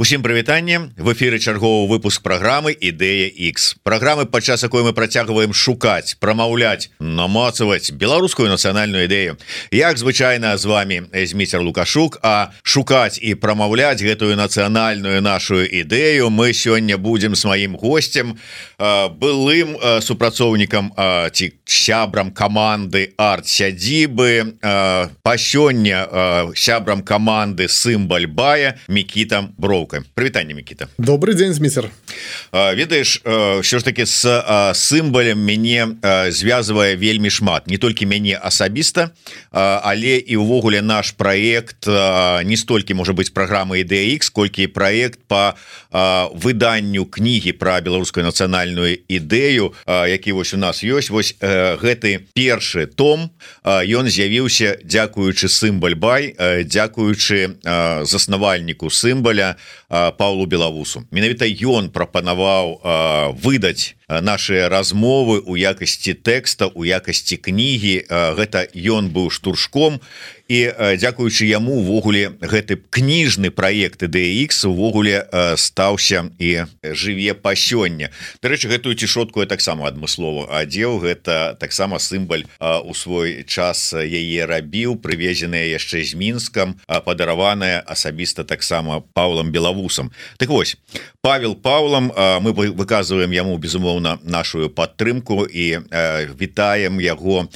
Усім прывітанне, в эфіры чарговы выпуск праграмы Ідэя X. Праграмы, падчас якой мы працягваем шукаць, прамаўляць, намацаваць беларускую нацыянальную ідэю. Як звычайна з вами Зміцер Лукашук, а шукаць і прамаўляць гэтую нацыянальную нашу ідэю мы сёння будзем з маім госцем, былым супрацоўнікам ці сябрам каманды арт-сядзібы, па сёння сябрам каманды Сымбаль-Бая Мікіта Броўка. Прывітанне, Мікіта. Добрый дзень, Зміцер. Ведаеш, що ж таки з Сымбалем мяне звязвае вельмі шмат, не толькі мяне асабіста, але і ўвогуле наш праект не столькі можа быць праграма Ідэя X, колькі праект по выданню кнігі пра беларускую нацыянальную ідэю, які вось у нас ёсць. Вось гэты першы том, ён з'явіўся дзякуючы Сымбаль-Бай, дзякуючы заснавальніку Сымбаля Паўлу Белавусу. Менавіта ён прапанаваў выдаць наши размовы у якасці тэкста, у якасці кнігі. Гэта ён быў штуршком, і дзякуючы яму увогуле гэты кніжны праект Ідэя X увогуле стаўся і жыве па сёння. Дарэчы, гэтую цішотку я таксама адмыслова адзеў. Гэта таксама Сымбаль у свой час яе рабіў, прывезеная яшчэ з Мінскам, падараваная асабіста таксама Паўлам Белавусам. Так вось, Павел Паўлам, мы выказваем яму безумоўна нашу падтрымку і вітаем яго,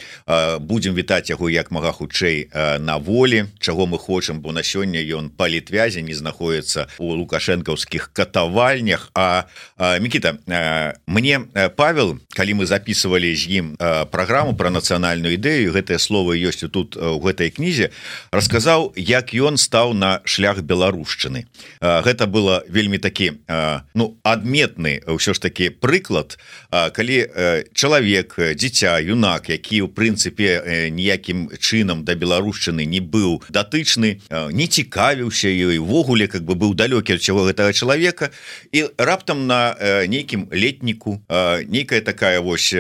будзем вітаць яго як мага хутчэй на волі, чаго мы хочам, бо на сёння ён палітвязе, не знаходіцца у лукашэнкаўскіх катавальнях. Мікіта, мне Павел, калі мы записывалі з ім праграму пра нацыянальную ідэю, гэтае слово ёсць тут у гэтай кнізе, расказаў, як ён стаў на шлях беларушчыны. Гэта было вельмі такі адметны ўсё ж такі прыклад, калі чалавек, дзіця, юнак, які ў прынцыпе ніякім чынам да беларушчыны не быў датычны, не цікавіўся ёй, увогуле как бы быў далёкі ад усяго гэтага чалавека, і раптам на нейкім летніку нейкая такая вось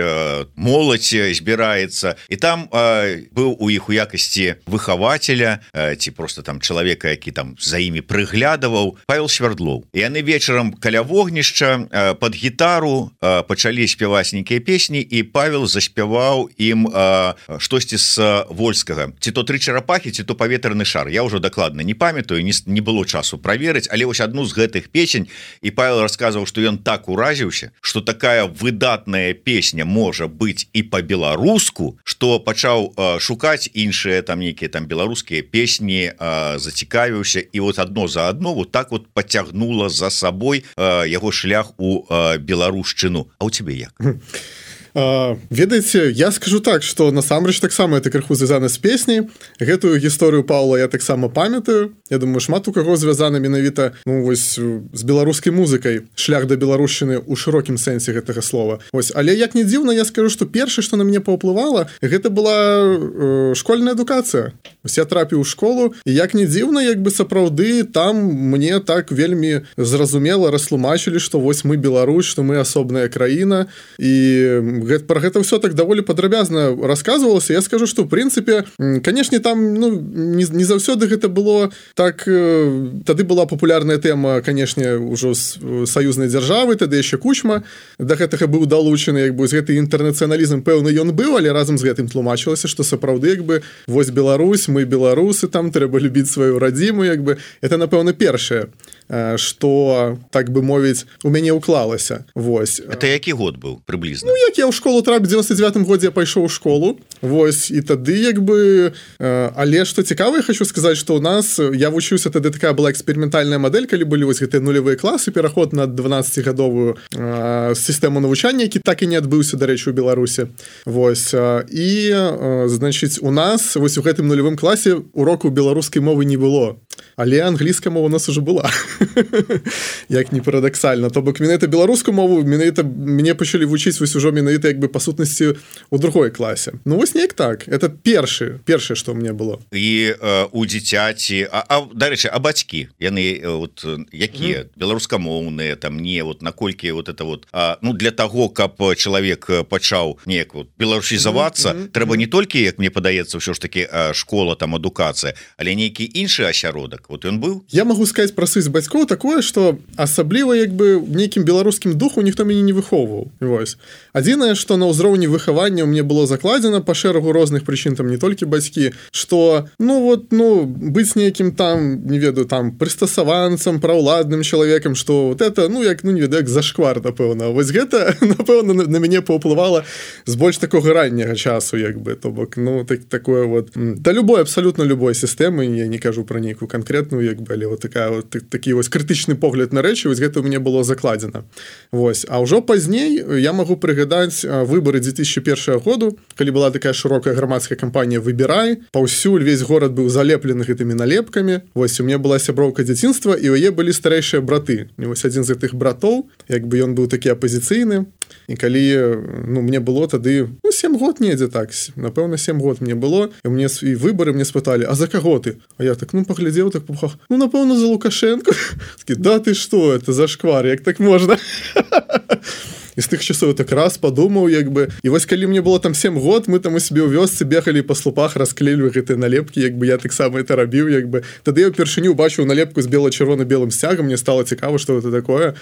моладзь збіраецца, і там быў у іх у якасці выхавацеля ці просто там чалавека, які там за імі прыглядаваў, Павел Свярдлоў. І яны вечарам каля вогнішча пад гітару пачалі спяваць нейкія песні, і Павел заспяваў ім штосьці з Вольскага, ці то «Тры чарапахі», ці то «Паветраны шар». Я ўжо дакладна не памятаю, не было часу праверыць, але вось адну з гэтых песень, і Павел расказваў, што ён так уразіўся, што такая выдатная песня можа быць і па-беларуску, што пачаў шукаць іншыя там нейкія там беларускія песні, зацікавіўся, і вот адно за адно вот так вот пацягнула за сабой яго шлях у беларушчыну. А ў цябе як? Ведаеце, я скажу так, што насамрэч таксама это крыху звязана з песняй. Гэтую гісторыю Паўла я таксама памятаю. Я думаю, шмат у каго звязана менавіта вось з беларускай музыкай, шлях да беларушчыны ў шырокім сэнсе гэтага слова. Вось, але як не дзіўна, я скажу, што першае, што на мяне паўплывала, гэта была школьная адукацыя. Вось я трапіў у школу, і як не дзіўна, як бы сапраўды там мне так вельмі зразумела растлумачылі, што вось мы Беларусь, што мы асобная краіна, і про гэта ўсё так даволі падрабязна расказвалася. Я скажу, што ў прынцыпе, канешне, там не заўсёды гэта было так. Тады была папулярная тэма, канешне, ўжо з саюзнай дзяржавы, тады яшчэ Кучма да гэтага быў далучаны, як бы з гэты інтэрнацыяналізм пэўны ён быў, але разам з гэтым тлумачылася, што сапраўды як бы вось Беларусь, мы беларусы, там трэба любіць сваю радзіму, як бы это напэўна першае, што так бы мовіць у мяне ўклалася. Вось. Это які год быў прыблізна? Ну, як я ў школу трапіў, у 99-м годзе я пайшоў у школу. Вось, і тады як бы... Але што цікава, я хочу сказаць, што ў нас... Я вучыўся, тады такая была эксперыментальная мадэль, калі былі вось гэтыя нулявыя класы, пераход на 12-гадовую сістэму навучання, які так і не адбыўся, дарэчы, у Беларусі. Вось. І, значыць, у нас вось у гэтым нулявым класе уроку беларускай мовы не было. Але англійская мова у нас уже была. Як не парадаксальна. То бок менавіта беларускую мову менавіта мне пачалі вучыць вось ужо менавіта як бы па сутнасці у другой класе. Ну вось неяк так. Это першае, што мне было. І у дзіцяці, дарэчы, а бацькі, яны вот якія? Беларускамоўныя, там не, вот наколькі вот это вот, ну для таго, каб чалавек пачаў неяк вот беларусізавацца, трэба не толькі, як мне падаецца, ўсё ж таки школа, там адукацыя, але нейкі іншы асяродак. вот ён быў. Я могу сказаць пра сувязь бацькоў такое, што асабліва як бы нейкім беларускім духу ніхто мяне не выхоўваў. Вось. Адзінае, што на ўзроўні выхавання мне было закладзена па шэрагу розных прычын, там не толькі бацькі, што быць нейкім там, не ведаю, там прыстасаванцам, праўладным чалавекам, што вот это, як не ведаю, як зашквар, напэўна. Вось гэта, напэўна, на мяне паўплывала з больш такога ранняга часу, як бы, то бок, такое вот, да любой, абсолютно любой сістэмы, я не кажу пра нейкую канкрэтную, як бы, але вот такі вось крытычны погляд на рэчы, вось гэта ў мяне было закладзена. Вось. А ўжо пазней я магу прыгадаць выбары 2001 году, калі была такая шырокая грамадская кампанія «Выбірай», паўсюль увесь горад быў залеплены гэтымі налепкамі. Вось у меня была сяброўка дзяцінства, і ў яе былі старэйшыя браты. І вось адзін з гэтых братоў, як бы ён быў такі апазіцыйны, і калі мне было тады 7 год недзе так, напэўна 7 год мне было, і мне і выбары мне спыталі: а за каго ты? А я так паглядзеў так по пухах, напэўна за Лукашенко. Да ты што, это зашквар, як так можна? І з тых часоў так раз падумаў, як бы. І вось калі мне было там 7 год, мы там у себе ў вёсцы бегалі па слупах, расклеілі гэтыя налепкі, як бы я таксама это рабіў, як бы. Тады я ўпершыню бачыў налепку з бела-чырвона-белым сцягам, мне стало цікава, што гэта такое.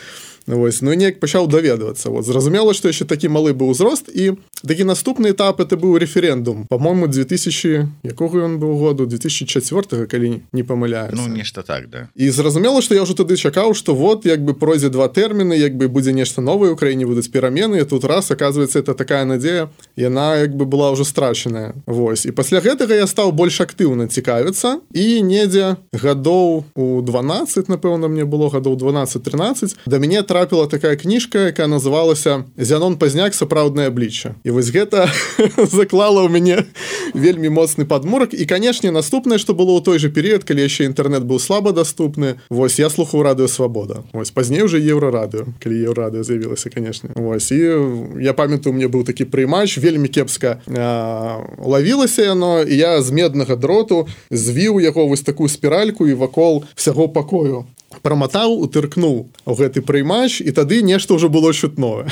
Вось. Ну і неяк пачаў даведвацца. Вот. Зразумела, што яшчэ такі малы быў узрост, і такі наступны этап это быў рэферэндум. Па-мойму, 2000, якога ён быў году? 2004, калі не памыляюся. Нешта так, да. І зразумела, што я ўжо тады чакаў, што вот, як бы пройдзе 2 тэрміны, як бы будзе нешта новае ў краіне, будуць перамены, і тут раз, оказывается, это такая надзея, яна як бы была ўжо страчаная. Вось. І пасля гэтага я стаў больш актыўна цікавіцца, і недзе гадоў у 12, напэўна, мне было гадоў 12-13, да мяне трапіла такая кніжка, якая называлася «Зянон Пазняк. Сапраўднае аблічча». І вось гэта заклала ў мяне вельмі моцны падмурак. І, канешне, наступнае, што было ў той же перыяд, калі яшчэ інтэрнэт быў слаба даступны, вось, я слухаў радыё «Свабода». Вось, пазней уже Еўрарадыё, калі Еўрарадыё з'явілася, канешне. Вось, і я памятаю, у мне быў такі прыймач, вельмі кепска лавілася яно, і я з меднага дроту звіў яго вось такую спіральку і вакол всяго пакою праматаў, утыркнуў у гэты прыймач, і тады нешта ўжо было чутное.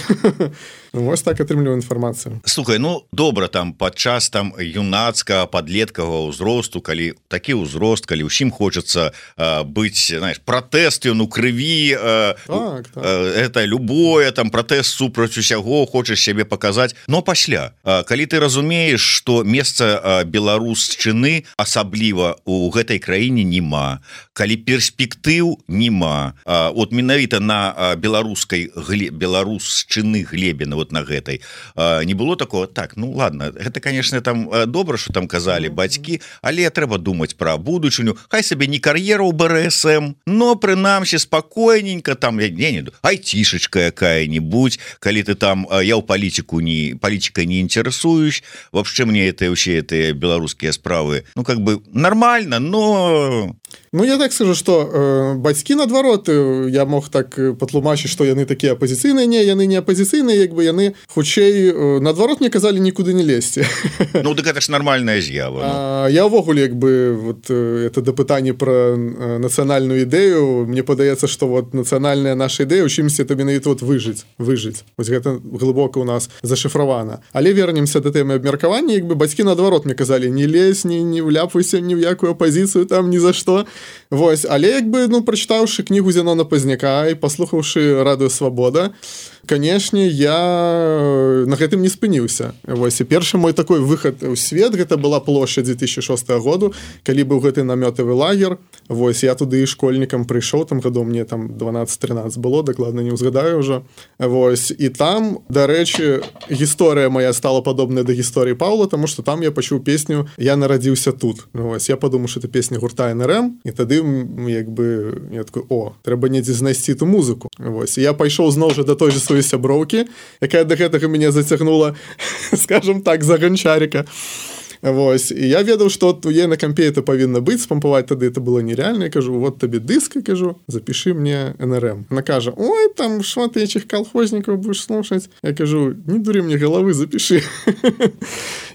Вось так атрымліваю інфармацыю. Слухай, добра, там падчас там юнацкага, падлеткавага ўзросту, калі такі ўзрост, калі ўсім хочацца быць, знаеш, пратэст ён у крыві, это любое, там пратэст супраць усяго, хочаш сябе паказаць. Но пасля, калі ты разумееш, што месца беларушчыны асабліва у гэтай краіне нема, калі перспектыў нема, от менавіта на беларушчыны глебе, вот на гэтай, не было такого, так, ладно, гэта, конечно, там добра, что там казалі бацькі, але трэба думаць пра будучыню, хай сабе не кар'ера ў БРСМ, но прынамсі спакойненько, там, айцішачка якая-нибудь, калі ты там, я ў палітикой не интересуюсь, вообще мне это вообще эти беларускія справы, как бы нормально, но... Я так скажу, што бацькі, наадварот, я мог так патлумачыць, што яны такія апазіцыйныя, не, яны не апазіцыйныя, як бы яны хутчэй, наадварот, мне казалі нікуды не лезці. Так это ж нармальная з'ява. Я ўвогуле, як бы, вот, это дапытанне пра нацыянальную ідэю, мне падаецца, што вот нацыянальная наша ідэя, у чымсьці это менавіта вот выжыць. Вось гэта глыбока ў нас зашыфравана. Але вернемся да тэмы абмеркавання, як бы бацькі, наадварот, мне казалі, не лезь, не вляпайся ні ў якую апазіцыю, там, ні за што. Вось, але як бы, прачытаўшы кнігу Зянона Пазняка і паслухаўшы радыё «Свабода», канешне, я на гэтым не спыніўся. Вось, і першы мой такой выхад у свет, гэта была плошча 2006 году, калі быў гэты намётавы лагер. Вось, я туды школьнікам прыйшоў, там гадоў мне там 12-13 было, дакладна не ўзгадаю ўжо. Вось, і там, дарэчы, гісторыя моя стала падобная да гісторыі Паўла, таму што там я пачуў песню «Я нарадзіўся тут». Вось, я падумаў, што это песня гурта НРМ, і тады, як бы, я такой, трэба недзе знайсці ту музыку. Вось, і я пайшоў зноў жа да той же сваёй сяброўкі, якая да гэтага мяне зацягнула, скажем так, за ганчарика. Вось, і я ведаў, што у яе на кампе это павінна быць, спампаваць тады это было нереально. Я кажу, вот табе дыск, я кажу, запиши мне НРМ. Она кажа, ой, там шмат этих колхознікаў будешь слушаць. Я кажу, не дури мне головы, запиши.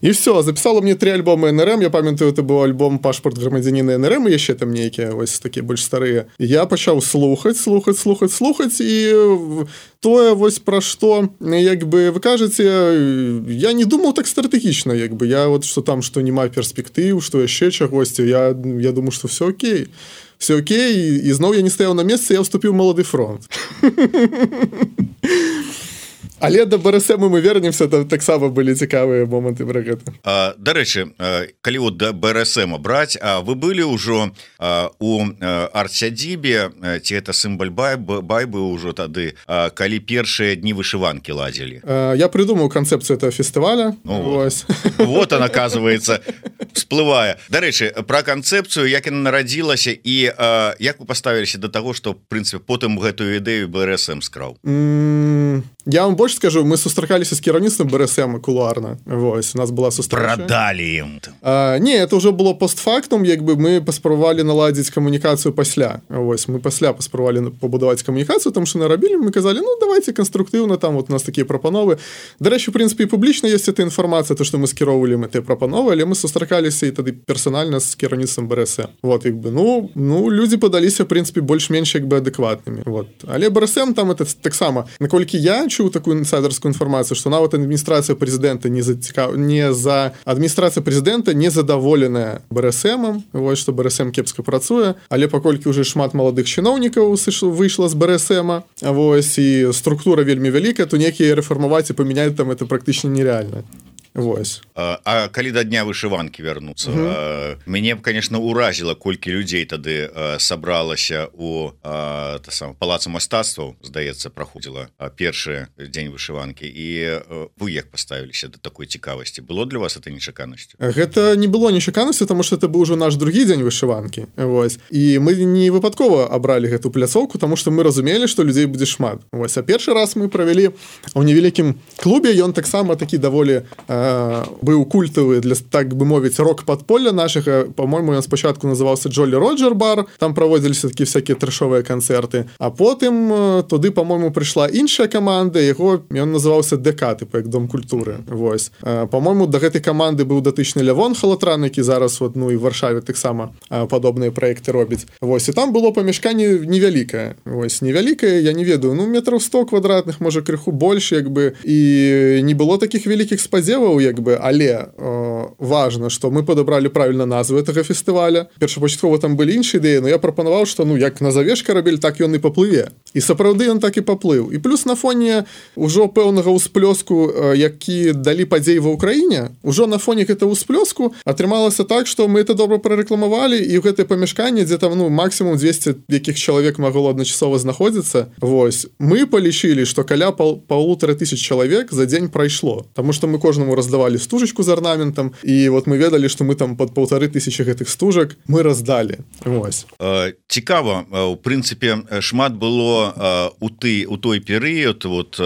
І все, записала мне 3 альбома НРМ. Я памятаю, это быў альбом «Пашпарт грамадзяніна НРМ», і яшчэ там нейкія вось такія больш старыя. Я пачаў слухаць, і тое вось пра што, як бы вы кажаце, я не думаў так стратэгічна, як бы я вот што там, што няма перспектыў, што яшчэ чагосьці, я думаю, што все окей. все окей, і зноў я не стаяў на месцы, я ўступіў Малады фронт. Але да БРСМ мы вернемся, там таксама былі цікавыя моманты пра гэта. Дарэчы, калі вот да БРСМ браць, вы былі ўжо у арт-сядзібе, ці это сімбаль бай быў ужо тады, калі першыя дні вышыванкі ладзілі? Я придумаў канцэпцыю этого фестываля. Вот он, оказывается, всплывае. Дарэчы, пра канцэпцыю, як яна нарадзілася і як вы паставіліся да таго, што, в прынцыпе, потым гэтую ідэю БРСМ скраў? Я вам больше скажу, мы сустракаліся з кіраўніцтвам БРСМ кулуарна. Вось, у нас была сустрэча. Прадалі ім. Не, это уже было постфактум, як бы мы паспрабавалі наладзіць камунікацыю пасля. Вось, мы пасля паспрабавалі пабудаваць камунікацыю, тому што нарабілі, мы казалі, ну, давайте канструктыўна, там вот у нас такія прапановы. Дарэчы, в прынцыпе, і публічна ёсць эта інфармацыя, то, што мы скіроўвалі гэтыя прапановы, але мы сустракаліся і тады персанальна з кіраўніцтвам БРСМ. Вот, як бы, ну, людзі падаліся, в прынцыпе, больш-менш як бы адэкватнымі. Вот. Але БРСМ там это таксама, наколькі я чуў такую інсайдерскую інфармацыю, што нават адміністрацыя прэзідэнта адміністрацыя прэзідэнта не задаволеная БРСМам, вось што БРСМ кепска працуе, але паколькі ўжо шмат маладых чыноўнікаў выйшла з БРСМа, вось, і структура вельмі вялікая, то некія рэфармаваць і памяняць там это практычна нереальна. Вось. А калі да дня вышыванкі вярнуцца, мяне б, конечно, уразіла, колькі людзей тады сабралася у палацы мастацтваў, здаецца, праходзіла першы дзень вышыванкі, і вы як паставіліся да такой цікавасці? Было для вас это нечаканасцю? Гэта не было нечаканасцю, таму што это быў ужо наш другі дзень вышыванкі. Вось. І мы не выпадкова абралі гэту пляцоўку, таму што мы разумелі, што людзей будзе шмат. Вось. А першы раз мы правялі ў невялікім клубе, ён таксама такі даволі быў культавы для, так бы мовіць, рок-падполля нашага. По-мойму, ён спачатку называўся Джолі Роджер бар, там праводзіліся такія всякія трэшовыя канцэрты, а потым туды, по-мойму, прыйшла іншая каманда, ён называўся ДК, типа як Дом культуры. Вось. По-мойму, да гэтай каманды быў датычны Лявон Халатран, які зараз вот, ну, і в Варшаве таксама падобныя праекты робіць. Вось. І там было памяшканне невялікае. Вось. Невялікае, я не ведаю, ну, метраў 100 квадратных, можа, крыху больш, як бы, і не было такіх вялікіх спадзеваў, як бы, але важна, што мы падабралі правільна назву гэтага фестываля. Першапачаткова там былі іншыя ідэі, но я прапанаваў, што, ну, як назавеш карабель, так ён і паплыве. І сапраўды ён так і паплыў. І плюс на фоне ўжо пэўнага ўсплёску, які далі падзеі ва ўкраіне, ужо на фоне гэтага ўсплёску атрымалася так, што мы это добра прарэкламавалі, і ў гэтае памяшканне, дзе там, ну, максімум 200 якіх чалавек магло адначасова знаходзіцца. Вось. Мы палічылі, што каля 1500 чалавек за дзень прайшло. Таму што мы кожнаму раздавалі стужачку з арнаментам, і вот мы ведалі, што мы там пад 1500 гэтых стужак мы раздалі. Вось. Цікава, у прынцыпе, шмат было у той перыяд, вот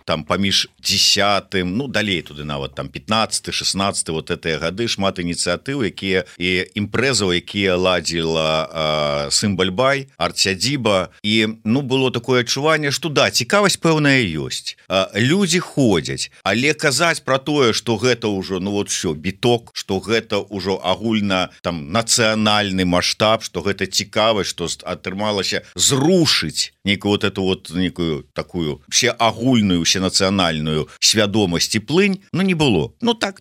там паміж 10-м, ну, далей туды нават там 15-16 вот гэтыя гады, шмат ініцыятыў, якія і імпрэзаў, якія ладзіла сімбаль бай, арт-сядзіба, і, ну, было такое адчуванне, што да, цікавасць пэўная ёсць. Людзі ходзяць, але казаць пра тое, што гэта ўжо, ну, вот все, біток, што гэта ўжо агульна там нацыянальны маштаб, што гэта цікавасць, што атрымалася зрушыць нейкую вот эту вот некую такую всеагульную, всенацыянальную свядомасць і плынь, ну, не было. Ну так,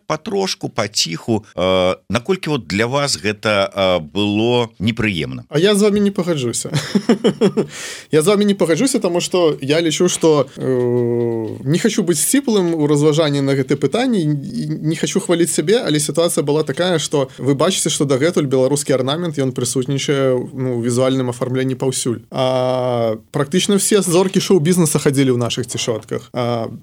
патрошку, паціху. Наколькі вот для вас гэта было непрыемна? А я з вами не пагаджуся. Я з вами не пагаджуся, таму што я лічу, што не хочу быць сціплым у разважанні на гэтае пытанне, не хочу хваліць сябе, але сітуацыя была такая, што вы бачыце, што дагэтуль беларускі арнамент, ён прысутнічае, ну, у візуальным афармленні паўсюль. А практычна все зоркі шоу-бізнеса хадзілі ў нашых цішотках.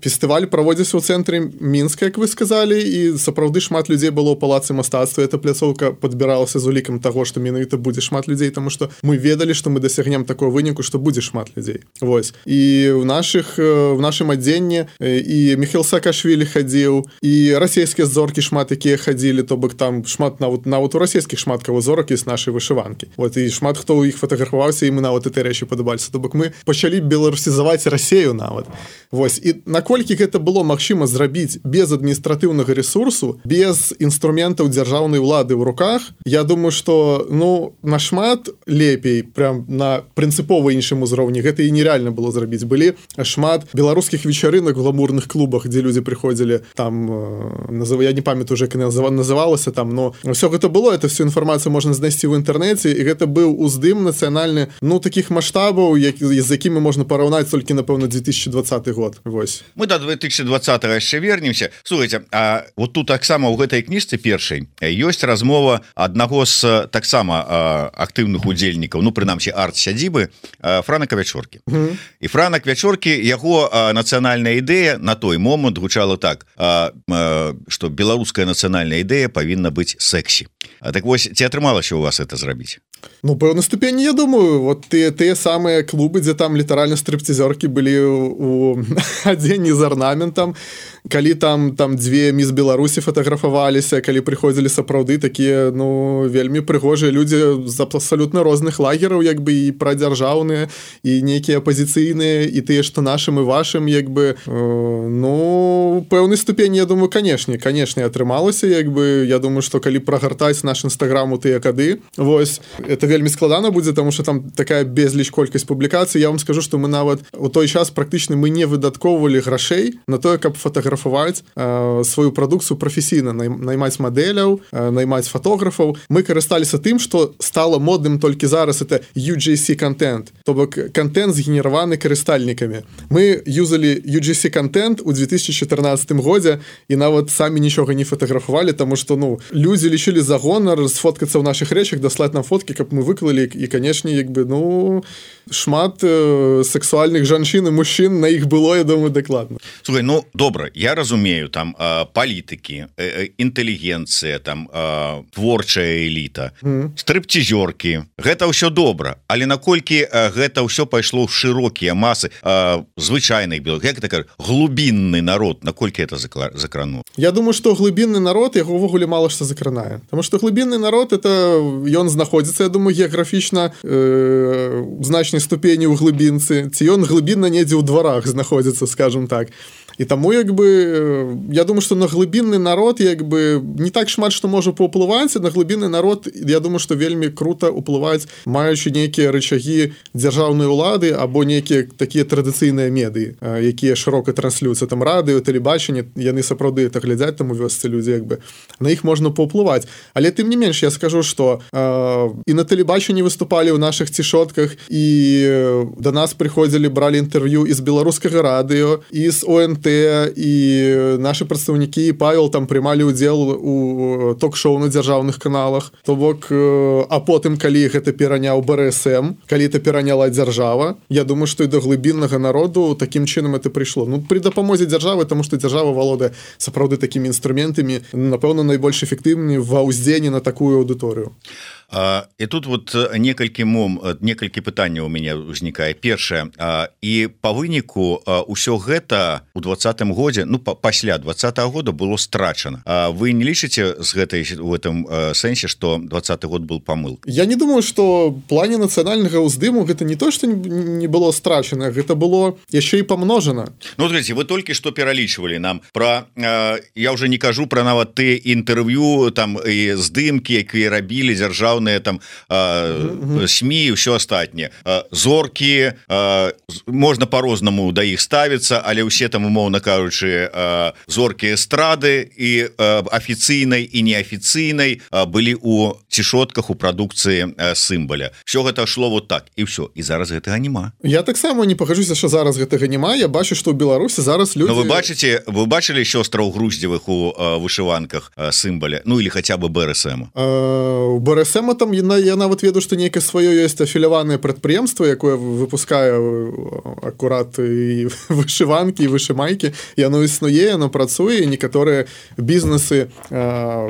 Фестываль праводзіўся ў цэнтры Мінска, як вы сказалі, і сапраўды шмат людзей было ў палацы мастацтва. Эта пляцоўка падбіралася з улікам таго, што менавіта будзе шмат людзей, таму што мы ведалі, што мы дасягнем такого выніку, што будзе шмат людзей. Вось. І в нашым адзенні і Міхаіл Саакашвілі хадзіў, і расійскія зоркі шмат якія хадзілі, то бок там шмат нават у расійскіх шмат каго зорак з нашай вышыванкі. Вот, і шмат хто ў іх фатаграфаваўся, і мы нават этой рэчы падабаліся. То бок мы пачалі беларусізаваць Расею нават. Вось. І наколькі гэта было магчыма зрабіць без адміністратыўнага ресурсу, без інструментаў дзяржаўнай улады ў руках, я думаю, што, ну, нашмат лепей, прям на прынцыпова іншым узроўні, гэта і нереальна было зрабіць. Былі шмат беларускіх вечарынак у гламурных клубах, дзе людзі прыходзілі прыходзілі там я не памятаю уже, як называлася там, но все гэта было, это всю інфармацыю можна знайсці ў інтэрнэце, і гэта быў уздым нацыянальны, ну, такіх маштабаў, з якімі можна параўнаць толькі, напэўна, 2020 год. Вось. Мы до 2020 яшчэ вернемся. Слухайте, а вот тут таксама ў гэтай кніжцы першай ёсць размова аднаго з таксама актыўных удзельнікаў, ну, прынамсі, арт-сядзібы Франа Кавячоркі. І Франа Кавячоркі, яго нацыянальная ідэя на той момант гучала так, што беларуская нацыянальная ідэя павінна быць сэксі. Так вось, ці атрымалася у вас это зрабіць? Ну, пэўнай ступені, я думаю, вот тыя самыя клубы, дзе там літаральна стрыпцізёркі былі у адзенні з арнаментам, калі там дзве міс Беларусі фатаграфаваліся, калі прыходзілі сапраўды такія, ну, вельмі прыгожыя людзі з абсалютна розных лагераў, як бы, і прадзяржаўныя, і нейкія апазіцыйныя, і тыя, што нашым і вашым, як бы, ну, пэўнай ступені, я думаю, канешне атрымалася, як бы, я думаю, што калі прагартаць наш інстаграм у тыя кады, вось, это вельмі складана будзе, таму што там такая безліч колькасць публікацый. Я вам скажу, што мы нават у той час практычна мы не выдаткоўвалі грашэй на тое, каб фатаграфаваць сваю прадукцыю прафесійна, наймаць мадэляў, наймаць фатографаў. Мы карысталіся тым, што стала модным толькі зараз, это UGC-контент, то бок контент згенераваны карыстальнікамі. Мы юзалі UGC-контент у 2014 годзе і нават самі нічога не фатаграфавалі, таму што, ну, людзі лічылі за гонар сфоткацца ў нашых рэчах, даслаць нам фоткі, каб мы выклалі, і, канешне, як бы, ну, шмат сексуальных жанчын і мужчын на іх было, я думаю, дакладна. Слухай, ну, добра, я разумею, там палітыкі, інтэлігенцыя, там творчая эліта, стрыпцізёркі, гэта ўсё добра, але наколькі гэта ўсё пайшло ў шырокія масы звычайных белых, як так, глубінны народ, наколькі это закрануло? Я думаю, што глыбінны народ, яго ўвогуле мала што закранае, таму што глыбінны народ, это ён знаходзіцца, я думаю, геаграфічна значнай ступені ў глыбінцы, ці ён глыбінна недзе ў дварах знаходзіцца, скажем так. І таму, як бы, я думаю, што на глыбінны народ, як бы, не так шмат, што можа паўплываць, на глыбінны народ, я думаю, што вельмі крута ўплываць, маючы нейкія рычагі дзяржаўнай улады або нейкія такія традыцыйныя медыі, якія шырока транслююцца, там радыё, тэлебачанне, яны сапраўды это глядзяць, там у вёсцы людзі, як бы, на іх можна паўплываць. Але тым не менш, я скажу, што і на тэлебачанні выступалі ў нашых цішотках, і да нас прыходзілі, бралі інтэрв'ю і з беларускага радыё, і з ОНТ, і нашы прадстаўнікі, і Павел там прымалі ўдзел у ток-шоу на дзяржаўных каналах. То бок, а потым, калі гэта пераняў БРСМ, калі это пераняла дзяржава, я думаю, што і да глыбіннага народу такім чынам это прыйшло. Ну, пры дапамозе дзяржавы, таму што дзяржава валодае сапраўды такімі інструментамі, напэўна, найбольш эфектыўнымі ва ўздзеянні на такую аўдыторыю. І тут вот некалькі пытанняў у мяне ўзнікае. Першае, і па выніку ўсё гэта ў 2020 годзе, ну, пасля 2020 года было страчана. Вы не лічыце в этом сэнсе, што 2020 год был памыл? Я не думаю, што в плане нацыянальнага ўздыму гэта не то, што не было страчана, гэта было яшчэ і памножана. Ну, смотрите, вы толькі што пералічвалі нам пра, я уже не кажу пра нават ты інтэрв'ю, там, і здымкі, якія рабілі дзяржаўныя там СМІ і ўсё астатняе. Зоркі, можна по-рознаму да іх ставіцца, але ўсе там, умоўна кажучы, зоркі эстрады і афіцыйнай і неафіцыйнай былі ў цішотках у прадукцыі сімбаля. Все гэта шло вот так, і ўсё. І зараз гэтага няма. Я таксама не пагажуся, што зараз гэтага няма. Я бачу, што ў Беларусі зараз людзі... Но вы бачылі сёстраў Груздзевых у вышыванках сімбаля? Ну, или хаця бы БРСМ? У БРСМ там я нават ведаю, што нейкае сваё ёсць афіляванае прадпрыемства, якое выпускае акурат і вышыванкі, і вышымайкі. Яно існуе, яно працуе, і некаторыя бізнесы,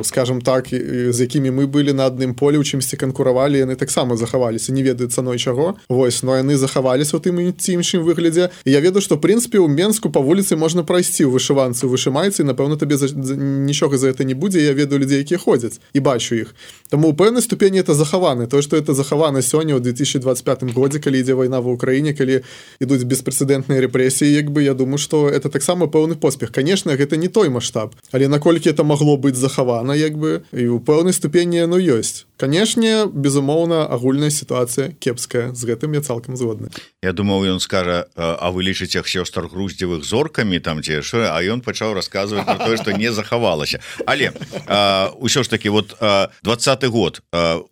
скажем так, з якімі мы былі на адным полі, у чымсьці канкуравалі, яны таксама захаваліся, не ведаю цаной чаго. Вось, но яны захаваліся ў тым ці іншым выглядзе. І я ведаю, што, в прынцыпе, у Менску па вуліцы можна прайсці ў вышыванцы, у вышымайцы, і, напэўна, табе нічога за гэта не будзе. Я ведаю людзей, якія ходзяць, і бачу іх. Таму у пэўнай ступені ступені это захавана. То, што это захавана сёння ў 2025 годзе, калі ідзе вайна ва ўкраіне, калі ідуць беспрэцэдэнтныя рэпрэсіі, як бы я думаю, што это таксама пэўны поспех. Канешне, гэта не той маштаб, але наколькі это магло быць захавана, як бы, і ў пэўнай ступені яно ёсць. Канешне, безумоўна, агульная сітуацыя кепская, з гэтым я цалкам згодны. Я думаў, ён скажа, а вы лічыце сёстр Груздзевых зоркамі там ці што, а ён пачаў расказваць про тое, што не захавалася. Але ўсё ж таки вот 20-й год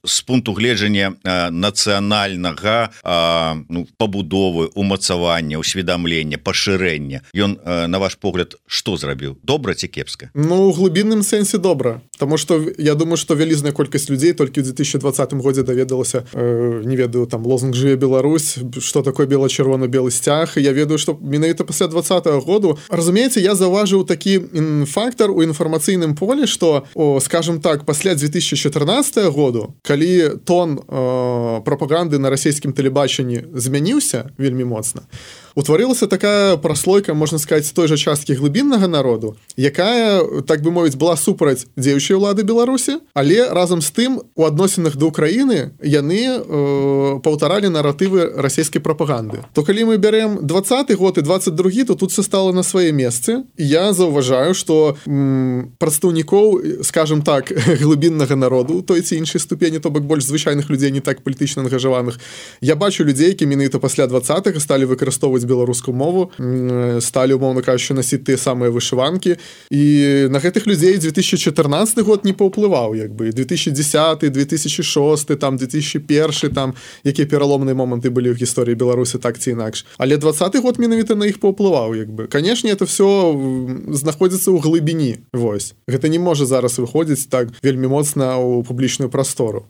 з пункту гледжання нацыянальнага пабудовы, умацавання, усведамлення, пашырэння, ён, на ваш погляд, што зрабіў? Добра ці кепска? Ну, у глыбінным сэнсе добра. Таму што я думаю, што вялізная колькасць людзей толькі ў 2020 годзе даведалася, не ведаю, там лозунг «Жыве Беларусь», што такое бела-чырвона-белы сцяг, і я ведаю, што менавіта пасля 20-го году, разумееце, я заўважыў такі фактор у інфармацыйным полі, што, скажем так, пасля 2014 году, калі тон прапаганды на расійскім тэлебачанні змяніўся вельмі моцна, утварылася такая праслойка, можна сказаць, той жа часткі глыбіннага народу, якая, так бы мовіць, была супраць дзеючай улады Беларусі, але разам з тым у адносінах да Украіны яны паўтаралі наратывы расійскай прапаганды. То калі мы бярэм 20-й год і 22-гі, то тут все стало на свае месцы. Я заўважаю, што прадстаўнікоў, скажем так, глыбіннага народу, той ці іншай ступені, то бок больш звычайных людзей, не так палітычна ангажаваных, я бачу людзей, які менавіта пасля 20-х сталі выкарыстоўваць беларускую мову, сталі, умоўна кажучы, насіць тыя самыя вышыванкі, і на гэтых людзей 2014 год не паўплываў, як бы, 2010, 2006, там, 2001, там, якія пераломныя моманты былі ў гісторыі Беларусі, так ці інакш. Але 20-й год менавіта на іх паўплываў, як бы. Канешне, это все знаходзіцца ў глыбіні, вось. Гэта не можа зараз выходзіць так вельмі моцна ў публічную прастору.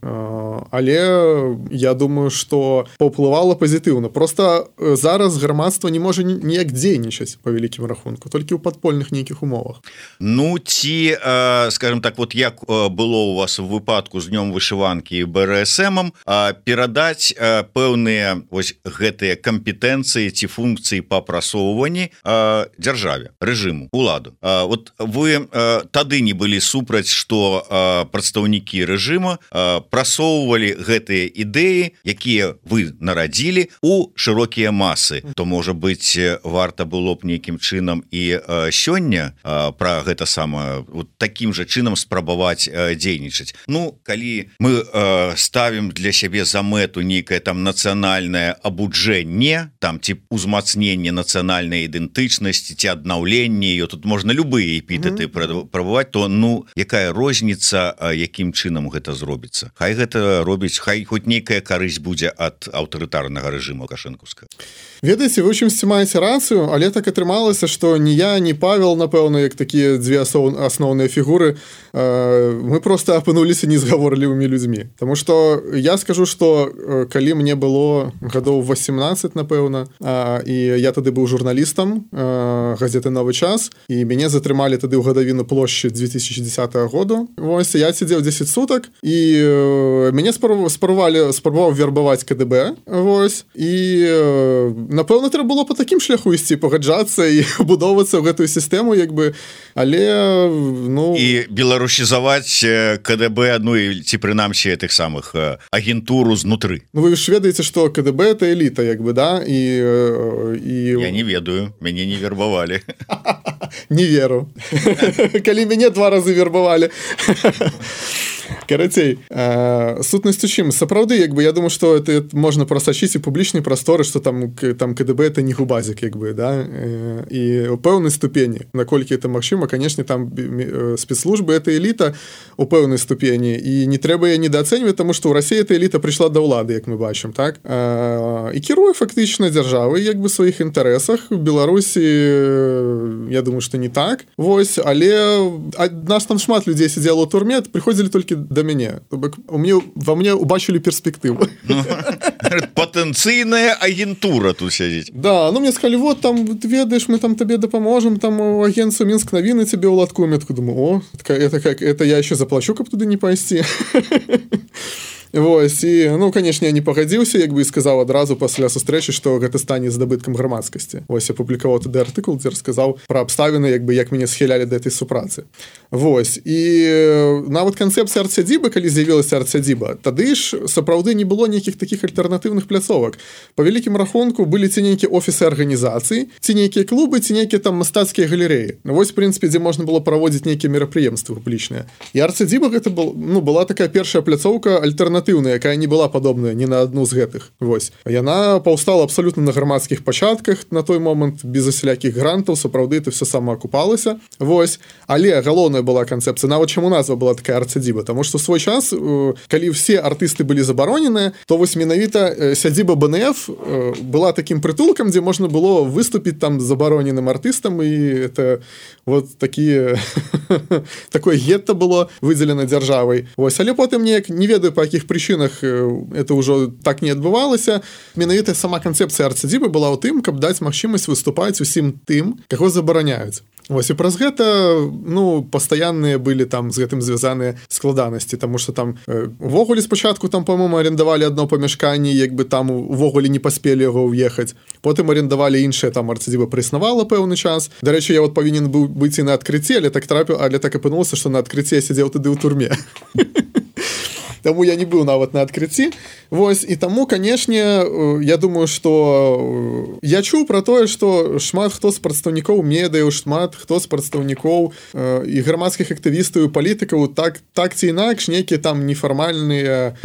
Але я думаю, што паўплывала пазітыўна. Просто зараз грамадства не можа ніяк дзейнічаць па вялікім рахунку, толькі ў падпольных нейкіх умовах. Ну, ці, скажем так, вот як было у вас в выпадку з днём вышыванкі і БРСМ, перадаць пэўныя вось гэтыя кампетэнцыі ці функцыі па прасоўванні дзяржаве, рэжыму, уладу. Вот вы тады не былі супраць, што прадстаўнікі рэжыма прасоўвалі гэтыя ідэі, якія вы нарадзілі у шырокія масы. То, можа быць, варта было б нейкім чынам і сёння пра гэта самае вот такім жа чынам спрабаваць дзейнічаць. Ну, калі мы ставім для сябе за мэту нейкае там нацыянальнае абуджэнне, там ці узмацненне нацыянальнай ідэнтычнасці ці аднаўленне ее, тут можна любыя эпітэты прабаваць, то ну якая розніца, якім чынам гэта зробіцца? Хай гэта робіць, хай хоць нейкая карысць будзе ад аўтарытарнага рэжыму лукашэнкаўскага. Ведаеце, вы чымсьці маеце рацыю, але так атрымалася, што ні я, ні Павел, напэўна, як такія дзве асноўныя фігуры, мы просто апынуліся незгаворлівымі людзьмі. Таму што я скажу, што калі мне было гадоў 18, напэўна, і я тады быў журналістам газеты «Новы час», і мяне затрымалі тады ў гадавіну плошчы 2010 году. Вось, я сидзеў 10 сутак, і мяне спрабаваў вербаваць КДБ, вось, і напэўна, трэба было па такім шляху ісці, пагаджацца і будоўвацца ў гэтую сістэму, як бы, але, ну... І беларусізаваць КДБ, ну, ці прынамсі тых самых агентуру знутры. Ну, вы ж ведаеце, што КДБ – это эліта, як бы, да? Я не ведаю, мяне не вербавалі. Не веру. Калі мяне 2 разы вербавалі. Карацей, сутнасць у чым? Сапраўды, як бы, я думаю, што это можна прасачыць у публічнай прасторы, што там КДБ это не губазік, як бы, да? І ў пэўнай ступені, наколькі это магчыма, канешне, там спецслужбы это эліта у пэўнай ступені, і не трэба яе недаацэньваць, таму што ў Расіі эта эліта прыйшла да ўлады, як мы бачым, так? І кіруе фактычна дзяржавай, як бы, сваіх інтарэсах. У Беларусі, я думаю, што не так. Вось, але нас там шмат людзей сидзела ў турме, прыходзілі толькі да мяне. Во мне убачили перспективу. Потенційная агентура тут сядзіць. Да, ну мне сказали, вот там, ведаешь, мы там тебе допоможем, там у агентства Минск новины тебе уладкуем. Я такой думаю, это я еще заплачу, как туда не пойти. Вось, і, ну, канешне, я не пагадзіўся, як бы і сказаў адразу пасля сустрэчы, што гэта стане здабыткам грамадскасці. Вось, я публікаваў тады артыкул, дзе расказаў пра абставіны, як бы, як мяне схілялі да этой супрацы. Вось, і нават канцэпцыя арт-сядзібы, калі з'явілася арт-сядзіба, тады ж сапраўды не было нейкіх такіх альтэрнатыўных пляцовак. Па вялікім рахунку былі ці нейкія офісы арганізацыі, ці нейкія клубы, ці нейкія там мастацкія галерэі. Вось, в прынцыпе, дзе можна было праводзіць нейкія мерапрыемствы публічныя. І арт-сядзіба гэта была такая першая пляцоўка альтэрнатыўная, якая не была падобная ні на адну з гэтых. Вось. Яна паўстала абсалютна на грамадскіх пачатках на той момант, без усялякіх грантаў, сапраўды это все самаакупалася. Вось. Але галоўная была канцэпцыя, нават чаму назва была такая арт-сядзіба, таму што свой час, калі ўсе артысты былі забароненыя, то вось менавіта сядзіба БНФ была такім прытулкам, дзе можна было выступіць там забароненым артыстам, і это вот такие такое гетто было выдзелена дзяржавай. Вось, але потым неяк не ведаю па якіх прычынах это ўжо так не адбывалася. Менавіта сама канцэпцыя арт-сядзібы была ў тым, каб даць магчымасць выступаць усім тым, каго забараняюць. Вось, і праз гэта, ну, пастаянныя былі там з гэтым звязаныя складанасці, таму што там увогуле спачатку там, па-моему, арендавалі адно памяшканне, як бы там увогуле не паспелі яго ўехаць. Потым арендавалі іншае, там арт-сядзіба праіснавала пэўны час. Дарэчы, я вот павінен быў быць і на адкрыцці, але так апынулася, што на адкрыцці я сядзеў тады ў турме. Таму я не быў нават на адкрыцці. Вось, і таму, канешне, я думаю, што я чуў пра тое, што шмат хто з прадстаўнікоў медыяў, шмат хто з прадстаўнікоў і грамадскіх актывістаў і палітыкаў так ці інакш нейкія там нефармальныя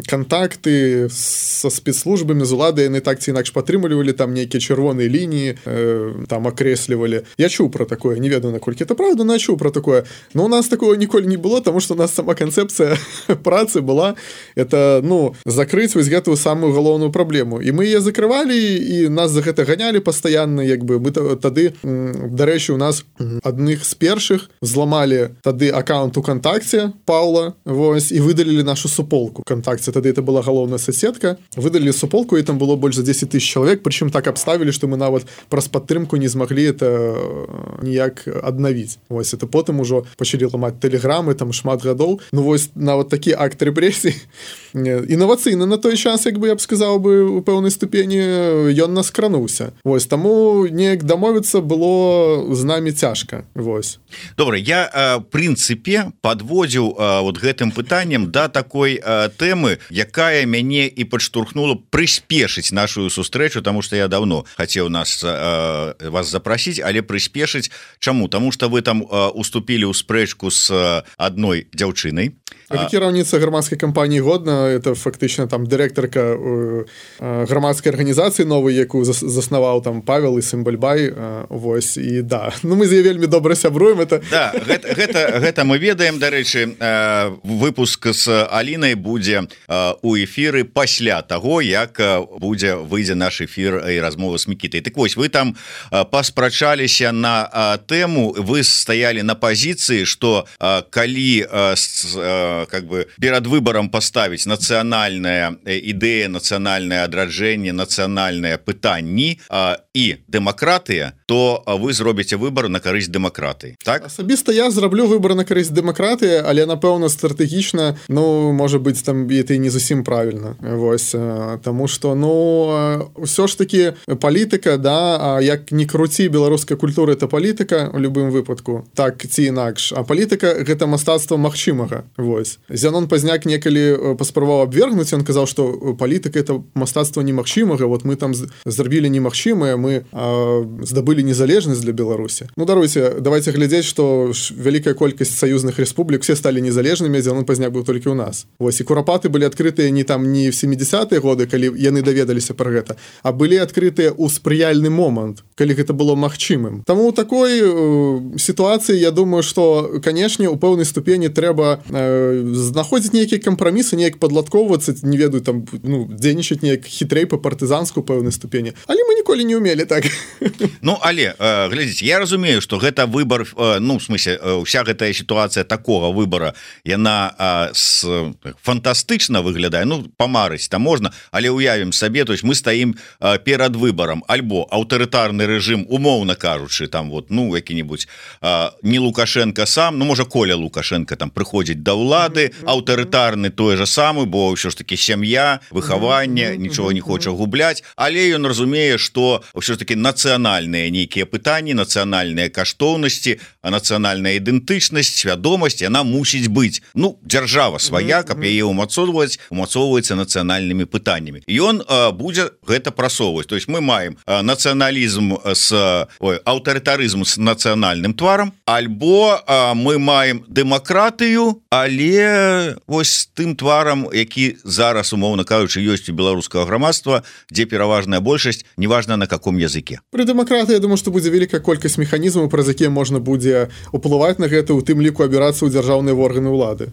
кантакты са спецслужбамі, з уладай, яны так ці інакш падтрымлівалі, там нейкія чырвоныя лініі там акрэслівалі. Я чуў пра такое, не ведаю, наколькі это правда, но я чуў пра такое. Но у нас такого ніколі не было, таму што у нас сама канцэпцыя працы была, это, ну, закрыць вось гэтую самую галоўную праблему. І мы яе закрывалі, і нас за гэта ганялі пастаянна, як бы, мы тады, дарэчы, у нас адных з першых зламалі тады аккаунт у Кантакце Паўла, вось, і выдалілі нашу суполку Кантакце. Тады это была галоўная соцсетка. Выдалілі суполку, і там было больш за 10 000 чалавек, прычым так абставілі, што мы нават праз падтрымку не змаглі это ніяк аднавіць. Вось, это потым ужо пачалі ламаць тэлеграмы, там шмат гадоў. Ну, вось, нават такі акт рэпрэсій інавацыйны на той час, як бы я б сказаў бы, у пэўнай ступені ён нас крануўся. Вось, таму неяк дамовіцца было з намі цяжка. Вось. Добра, я прынцыпе падводзіў вот гэтым пытаннем да такой тэмы, якая мяне і падштурхнула прыспешыць нашу сустрэчу, таму што я давно хацеў вас запрасіць, але прыспешыць чаму? Таму што вы там уступілі ў спрэчку з адной дзяўчынай. Кіраўніца грамадскай кампаніі «Годна», это фактычна там дырэктарка грамадскай арганізацыі новай, якую заснаваў там Павел і Сымбальбай. Вось, і да, ну мы з яе вельмі добра сябруем. Это... Да, гэта мы ведаем, дарэчы, выпуск з Алінай будзе у эфіры пасля таго, як выйдзе наш эфір і размова з Мікітай. Так вось, вы там паспрачаліся на тэму, вы стаялі на пазіцыі, што калі как бы перад выбором поставить нацыянальная ідэя, нацыянальнае адраджэнне, нацыянальныя пытанні і дэмакратыя, то вы зробіце выбор на карысць дэмакратыі. Так? Асабіста я зраблю выбор на карысць дэмакратыі, але напэўна стратэгічна, ну, можа быць, там это не зусім правільна. Вось, таму што, ну, ўсё ж таки палітыка, да, як не круці, беларуская культура это палітыка у любым выпадку, так ці інакш. А палітыка гэта мастацтва магчымага. Вось. Зянон Пазняк некалі паспрабаваў абвергнуць, ён казаў, што палітыка это мастацтва немагчымага, вот мы там зрабілі немагчымае, мы здабылі незалежнасць для Беларусі. Ну, даруйце, давайте глядзець, што вялікая колькасць саюзных рэспублік все сталі незалежнымі, Зянон Пазняк быў толькі ў нас. Вось, і курапаты былі адкрытыя не там не в 70-е годы, калі яны даведаліся пра гэта, а былі адкрытыя ў спрыяльны момант, калі гэта было магчымым. Таму ў такой сітуацыі я думаю, што, канешне, у пэўнай ступені трэба знаходзіць нейкія кампрамісы, неяк падладкоўвацца, не ведаю, там, ну, дзейнічаць неяк хітрэй па партызанску пэўнай ступені. Але мы ніколі не ўмелі так. Ну, але глядзіце, я разумею, что гэта выбор, ну в смысле вся гэтая сітуацыя такого выбора яна фантастычна выглядае, ну памарыць там можна, але уявім сабе, то есть мы стаім перад выбором альбо аўтарытарны рэжым, умоўна кажучы, там вот ну які-нибудь не Лукашенко сам, ну можа Коля Лукашенко там прыходзіць да ўлады, аўтарытарны той же самы, бо ўсё ж таки сям'я, выхаванне, нічого не хоча губляць, але ён разумее, что ўсё ж таки нацыянальныя нейкія пытанні, нацыянальныя каштоўнасці, нацыянальная ідэнтычнасць, свядомасць яна мусіць быць, ну дзяржава свая, каб яе умацоўваецца нацыянальнымі пытаннямі. Ён будзе гэта прасоўваць, то есть мы маем нацыяналізм аўтарытарызм з нацыянальным тварам, альбо мы маем дэмакратыю, але вось тым тварам, які зараз умоўна кажучы ёсць у беларускага грамадства, дзе пераважная большасць, неважна на каком языке. Пры дэмакратыі, я думаю, што будзе вялікая колькасць механізмаў, праз якія можна будзе уплываць на гэта, у тым ліку абірацца ў дзяржаўныя органы ўлады.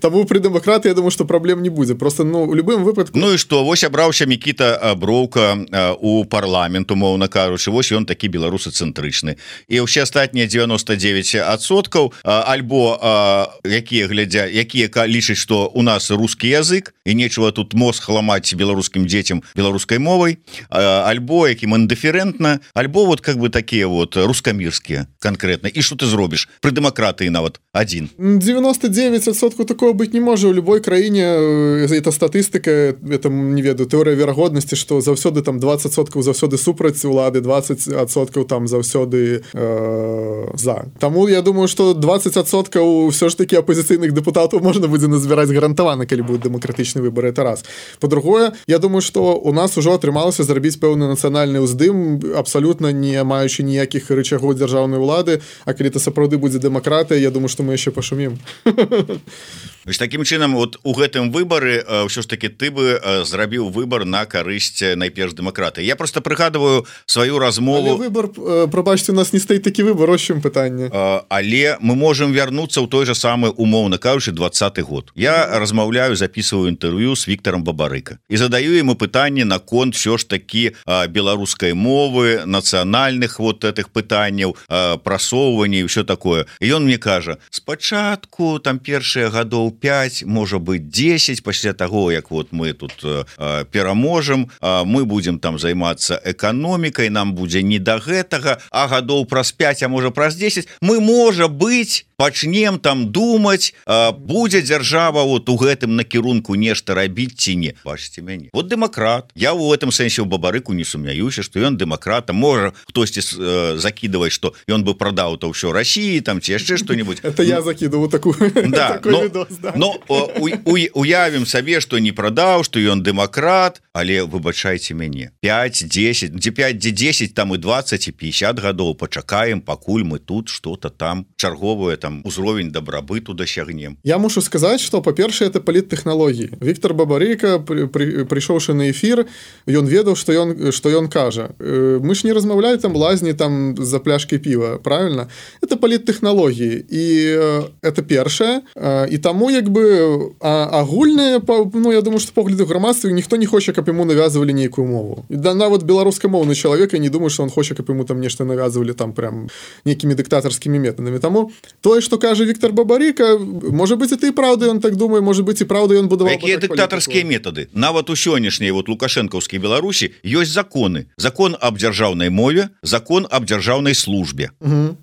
Таму пры дэмакратыі, я думаю, што праблем не будзе. Просто ну у любым выпадку. Ну і што, вось абраўся Мікіта Броўка у парламент, умоўна кажучы, вось ён такі беларусацэнтрычны. І ўсе астатнія 99% альбо якія глядзя, якія лічаць, што у нас рускі язык і нечего тут мозг ламаць беларускім дзецям беларускай мовай, альбо якім індыферэнтна, альбо вот как бы такія вот рускамірскія конкретно. І што ты зробіш пры дэмакратыі нават адзін? 99% такого быць не можа. У любой краіне это статыстыка, это не ведаю, тэорыя верагоднасці, што заўсёды там 20% заўсёды супраць улады, 20% там заўсёды за. Таму я думаю, што 20% ўсё ж таки апозіцыйных дэпутатаў можна будзе назбіраць гарантавана, калі будуць дэмакратычны выбор. Это раз. По-другое, я думаю, што у нас ужо атрымалася зрабіць пэўны нацыянальны ўздым, абсалютна не маючы ніякіх рычагоў дзяржаўнай улады, а калі это сапраўды будзе дэмакратыя, я думаю, што мы яшчэ пашумім. Таким чынам вот у гэтым выбары ўсё ж таки ты бы зрабіў выбор на карысць найперш дэмакратыі. Я просто прыгадываю сваю размову. Але выбор, прабачце, у нас не стаіць такі выбор, ось чым пытанне. Але мы можем вярнуцца ў той же самы, умоўна кажучы, 20-й год. Я размаўляю, записываю інтэрв'ю с Віктором Бабарыка і задаю ему пытанне наконт все ж таки беларускай мовы, нацыянальных вот этих пытанняў, прасоўвання і ўсё такое. І ён мне кажа: спачатку там першыя гадоў 5, можа быть 10, пасля таго, як вот мы тут пераможам, мы будем там займацца эканомікай, нам будзе не да гэтага, а гадоў праз 5, а можа праз 10 мы, можа быть, пачнем там думаць, будзе дзяржава вот у гэтым накірунку нешта рабіць ці не. Бачыце мяне, вот дэмакрат. Я у гэтым сэнсе ў Бабарыку не сумняюся, што ён дэмакрат. Можа хтосьці закідаваць, што ён бы прадаў то ўсё Расіі там ці яшчэ што-нибудь. Это я закидываю такую. Да, но уявім сабе, што не прадаў, што ён дэмакрат, але выбачайце мяне, 5, 10, 10 там і 20 і 50 гадоў пачакаем, пакуль мы тут что-то там чарговае там узровень дабрабыту дасягнем. Я мушу сказаць, што па-першае, это паліттэхналогіі. Віктор Бабарыка, прыйшоўшы на эфір, ён ведаў, што ён кажа. Мы ж не размаўляем там лазні там за пляшкай піва, правильно? Это паліттэхналогіі, і это першае, і таму як бы агульнае, ну я думаю, што погляды грамадства, ніхто не хоча, каб яму навязвалі нейкую мову. І да нават беларускамоўны чалавек, я не думаю, што он хоча, каб яму там нешта навязвалі там прям нейкімі дыктатарскімі метадамі. Таму тое, што кажа Віктор Бабарыка, можа быць, это і праўда, ён так думае, можа быць, і праўда, ён будаваў. Якія дыктатарскія метады? Нават у сённяшняй вот лукашэнкаўскай Беларусі ёсць законы. Закон аб дзяржаўнай мове, закон аб дзяржаўнай службе,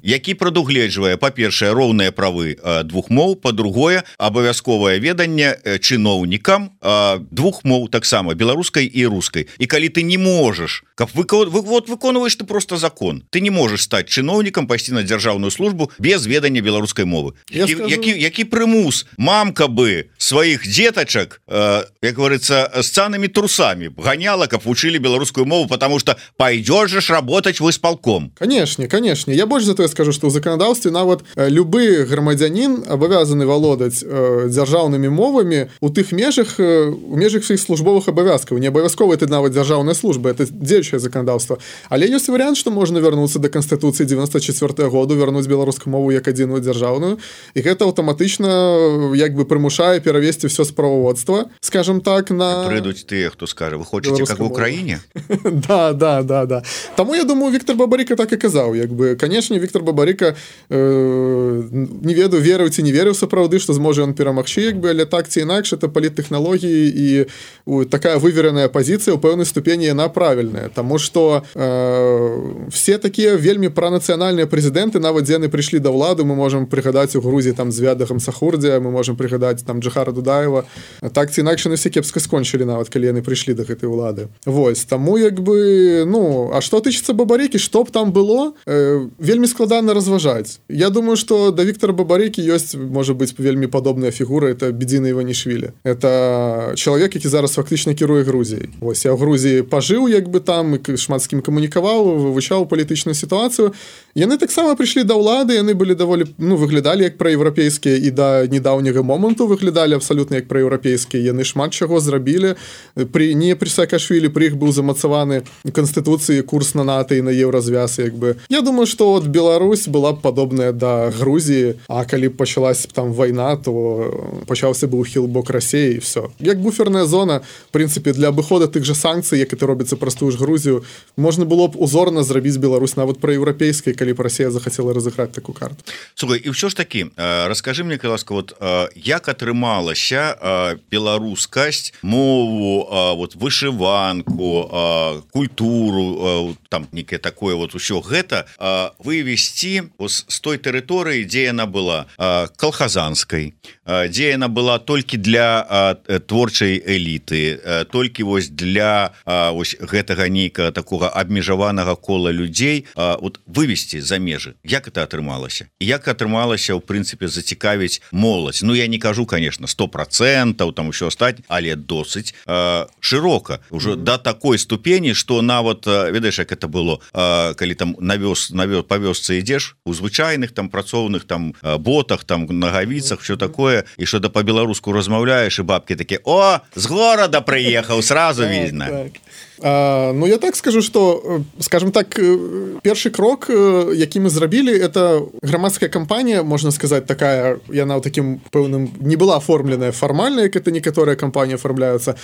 які прадугледжвае, па-першае, роўныя правы двух моў, па-другое, абавязковае веданне чыноўнікам двух моў, таксама беларускай і рускай. І калі ты не можаш, каб выконваеш ты просто закон, ты не можаш стаць чыноўнікам, пайсці на дзяржаўную службу без ведання беларускай мовы. Які прымус мамка бы сваіх дзетачак, як говорится, с цанамі трусамі ганяла, каб вучылі беларускую мову, потому что пойдешь же работать в исполком. Конечно. Я больш за тое скажу, што ў заканадаўстве нават любы грамадзянін абавязаны валодаць дзяржаўнымі мовамі у тых межах, у межах сваіх службовых абавязкаў. Не абавязкова это нават дзяржаўная служба, это дзеючае заканадаўства. Але ёсць варыянт, што можна вярнуцца да Канстытуцыі 94 году, вярнуць беларускую мову як адзіную дзяржаўную, і гэта аўтаматычна як бы прымушае перавесці все справаводства, скажем так, на... Прыйдуць тыя, хто скажа, вы хочаце, как в Украіне? Да. Таму, я думаю, Віктор Бабарыка так і казаў. Як бы, канешне, Віктор Бабарыка не ведаю, верыў ці не верыў сапраўды, што зможа ён перамагчы, як бы, але так ці інакш, это паліттэхналогіі і такая вывереная пазіцыя ў пэўнай ступені яна правільная, таму што все такія вельмі пранацыянальныя прэзідэнты, нават дзе яны прыйшлі да ўлады, мы можам прыгадаць у Грузіі там Звяда Гамсахурдзя, мы можам прыгадаць там Джахара Дудаева, так ці інакш яны все кепска скончылі, нават калі яны прыйшлі да гэтай улады. Вось, таму як бы, ну, а што тычыцца Бабарыкі, што б там было, вельмі складана разважаць. Я думаю, што да Віктора Бабарыкі ёсць, можа быць, вельмі падобная фігура, это Бедзіна Іванішвілі. Это чалавек, які зараз фактычна кіруе Грузіяй. Вось, я ў Грузіі пажыў, як бы там, шмат з кім камунікаваў, вывучаў палітычную сітуацыю. Яны таксама прыйшлі да ўлады, яны былі даволі, ну, выглядалі як праеўрапейскія і да недаўняга моманту выглядалі абсалютна як праеўрапейскія. Яны шмат чаго зрабілі. Не пры Саакашвілі, пры іх быў замацаваны канстытуцыі курс на НАТО і на еўразвяз, як бы. Я думаю, што от Беларусь была б падобная да Грузіі, а калі б пачалась там вайна, то пачаўся бы ўхіл бок Расіі і все. Як буферная зона, в прынцыпе, для абыхода тых жа санкцый, як это робіцца праз тую ж Грузію, можна было б узорна зрабіць Беларусь нават праеўрапейскай, калі б Расія захацела разыграць такую карту. Слухай, і ўсё ж такі, раскажы мне, ласка, вот як атрымалася беларускасць, мову, вот вышыванку, культуру, там некае такое вот усё гэта вывесці з той тэрыторыі, дзе яна была калхазанскай, дзе яна была толькі для творчай эліты, толькі вось для вось гэтага нейкага такога абмежаванага кола людзей, вот вывесці за межы. Як это атрымалася? Як атрымалася, ў прынцыпе, зацікавіць моладзь? Ну, я не кажу, конечно, 100%, там усё астатняе, але досыць шырока, уже до такой ступені, што нават, ведаеш, як это было, калі там па вёсцы ідзеш, у звычайных там працоўных там ботах, там нагавіцах, все такое, і што да па-беларуску размаўляеш, і бабкі такі: о, з горада прыехаў, сразу видно. Ну, я так скажу, что, скажем так, першы крок, які мы зрабілі, это грамадская кампанія, можна сказаць, такая, яна ў такім пэўным, не была оформленная фармальна, як это некаторыя кампаніі оформляюцца.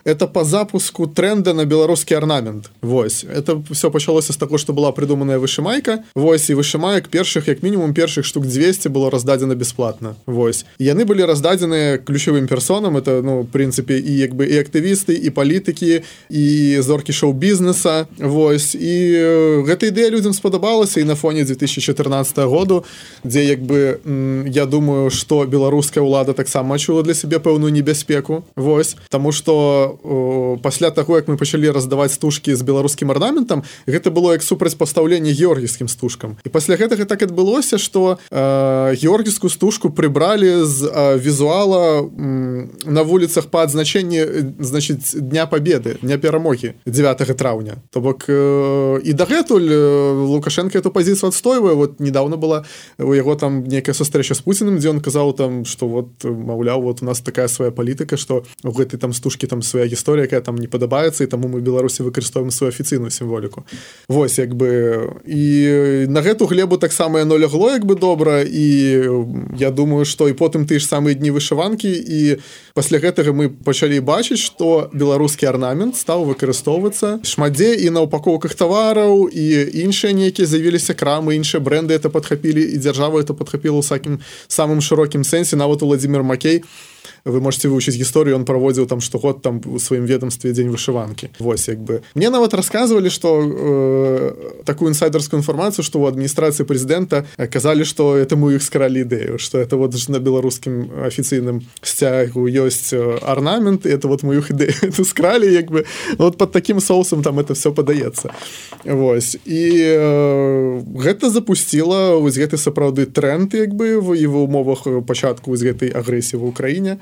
Это по запуску тренда на беларускі арнамент. Вось. Это все пачалося з таго, што была придуманая вышымайка. Вось, і вышымаек першых, як мінімум, першых штук 200 было раздадзена бесплатна. Вось. І яны былі раздадзеныя ключавым персонам. Это, ну, в прынцыпе, і як бы і актывісты, і палітыкі, і зоркі шоу-бізнеса. Вось. І гэта ідэя людзям спадабалася, і на фоне 2014 году, дзе, як бы, я думаю, што беларуская ўлада таксама адчула для сябе пэўную небяспеку. Вось. Таму што пасля таго, як мы пачалі раздаваць стужкі з беларускім арнаментам, гэта было як супрацьпастаўленне георгійскім стужкам. І пасля гэтага так адбылося, што георгійскую стужку прыбралі з візуала на вуліцах па адзначэнні, значыць, Дня Пабеды, Дня Перамогі 9 траўня. То бок і дагэтуль Лукашенко эту пазіцыю адстойвае. Вот недавно была у яго там некая сустрэча з Пуціным, дзе ён казаў там, што вот, маўляў, вот у нас такая свая палітыка, што у гэтай там стужкі там свая гісторыя, якая там не падабаецца, і таму мы Беларусі выкарыстоўваем сваю афіцыйную сімволіку. Вось, як бы, і на гэту глебу таксама яно лягло, як бы, добра, і я думаю, што і потым тыя ж самыя дні вышыванкі, і пасля гэтага мы пачалі бачыць, што беларускі арнамент стаў выкарыстоўвацца шмат дзе і на упакоўках тавараў, і іншыя нейкія з'явіліся крамы, іншыя бренды это падхапілі, і дзяржава это падхапіла ў самым шырокім сэнсе. Нават Уладзімір Макей, вы можете вывучыць гісторыю, он праводзіў там штогод там у сваім ведомстве дзень вышыванкі. Вось, як бы. Мне нават расказвалі, што такую інсайдерскую інфармацыю, што ў адміністрацыі прэзідэнта казалі, што это мы іх скралі ідэю, што это вот на беларускім афіцыйным сцягу ёсць арнамент, і это вот мы іх ідэю это скралі, як бы. Вот под такім соусам там это все падаецца. Вось. І гэта запусціла вось гэты сапраўды тренд, як бы, і в умовах пачатку вось гэтай агрэсіі в Украіне.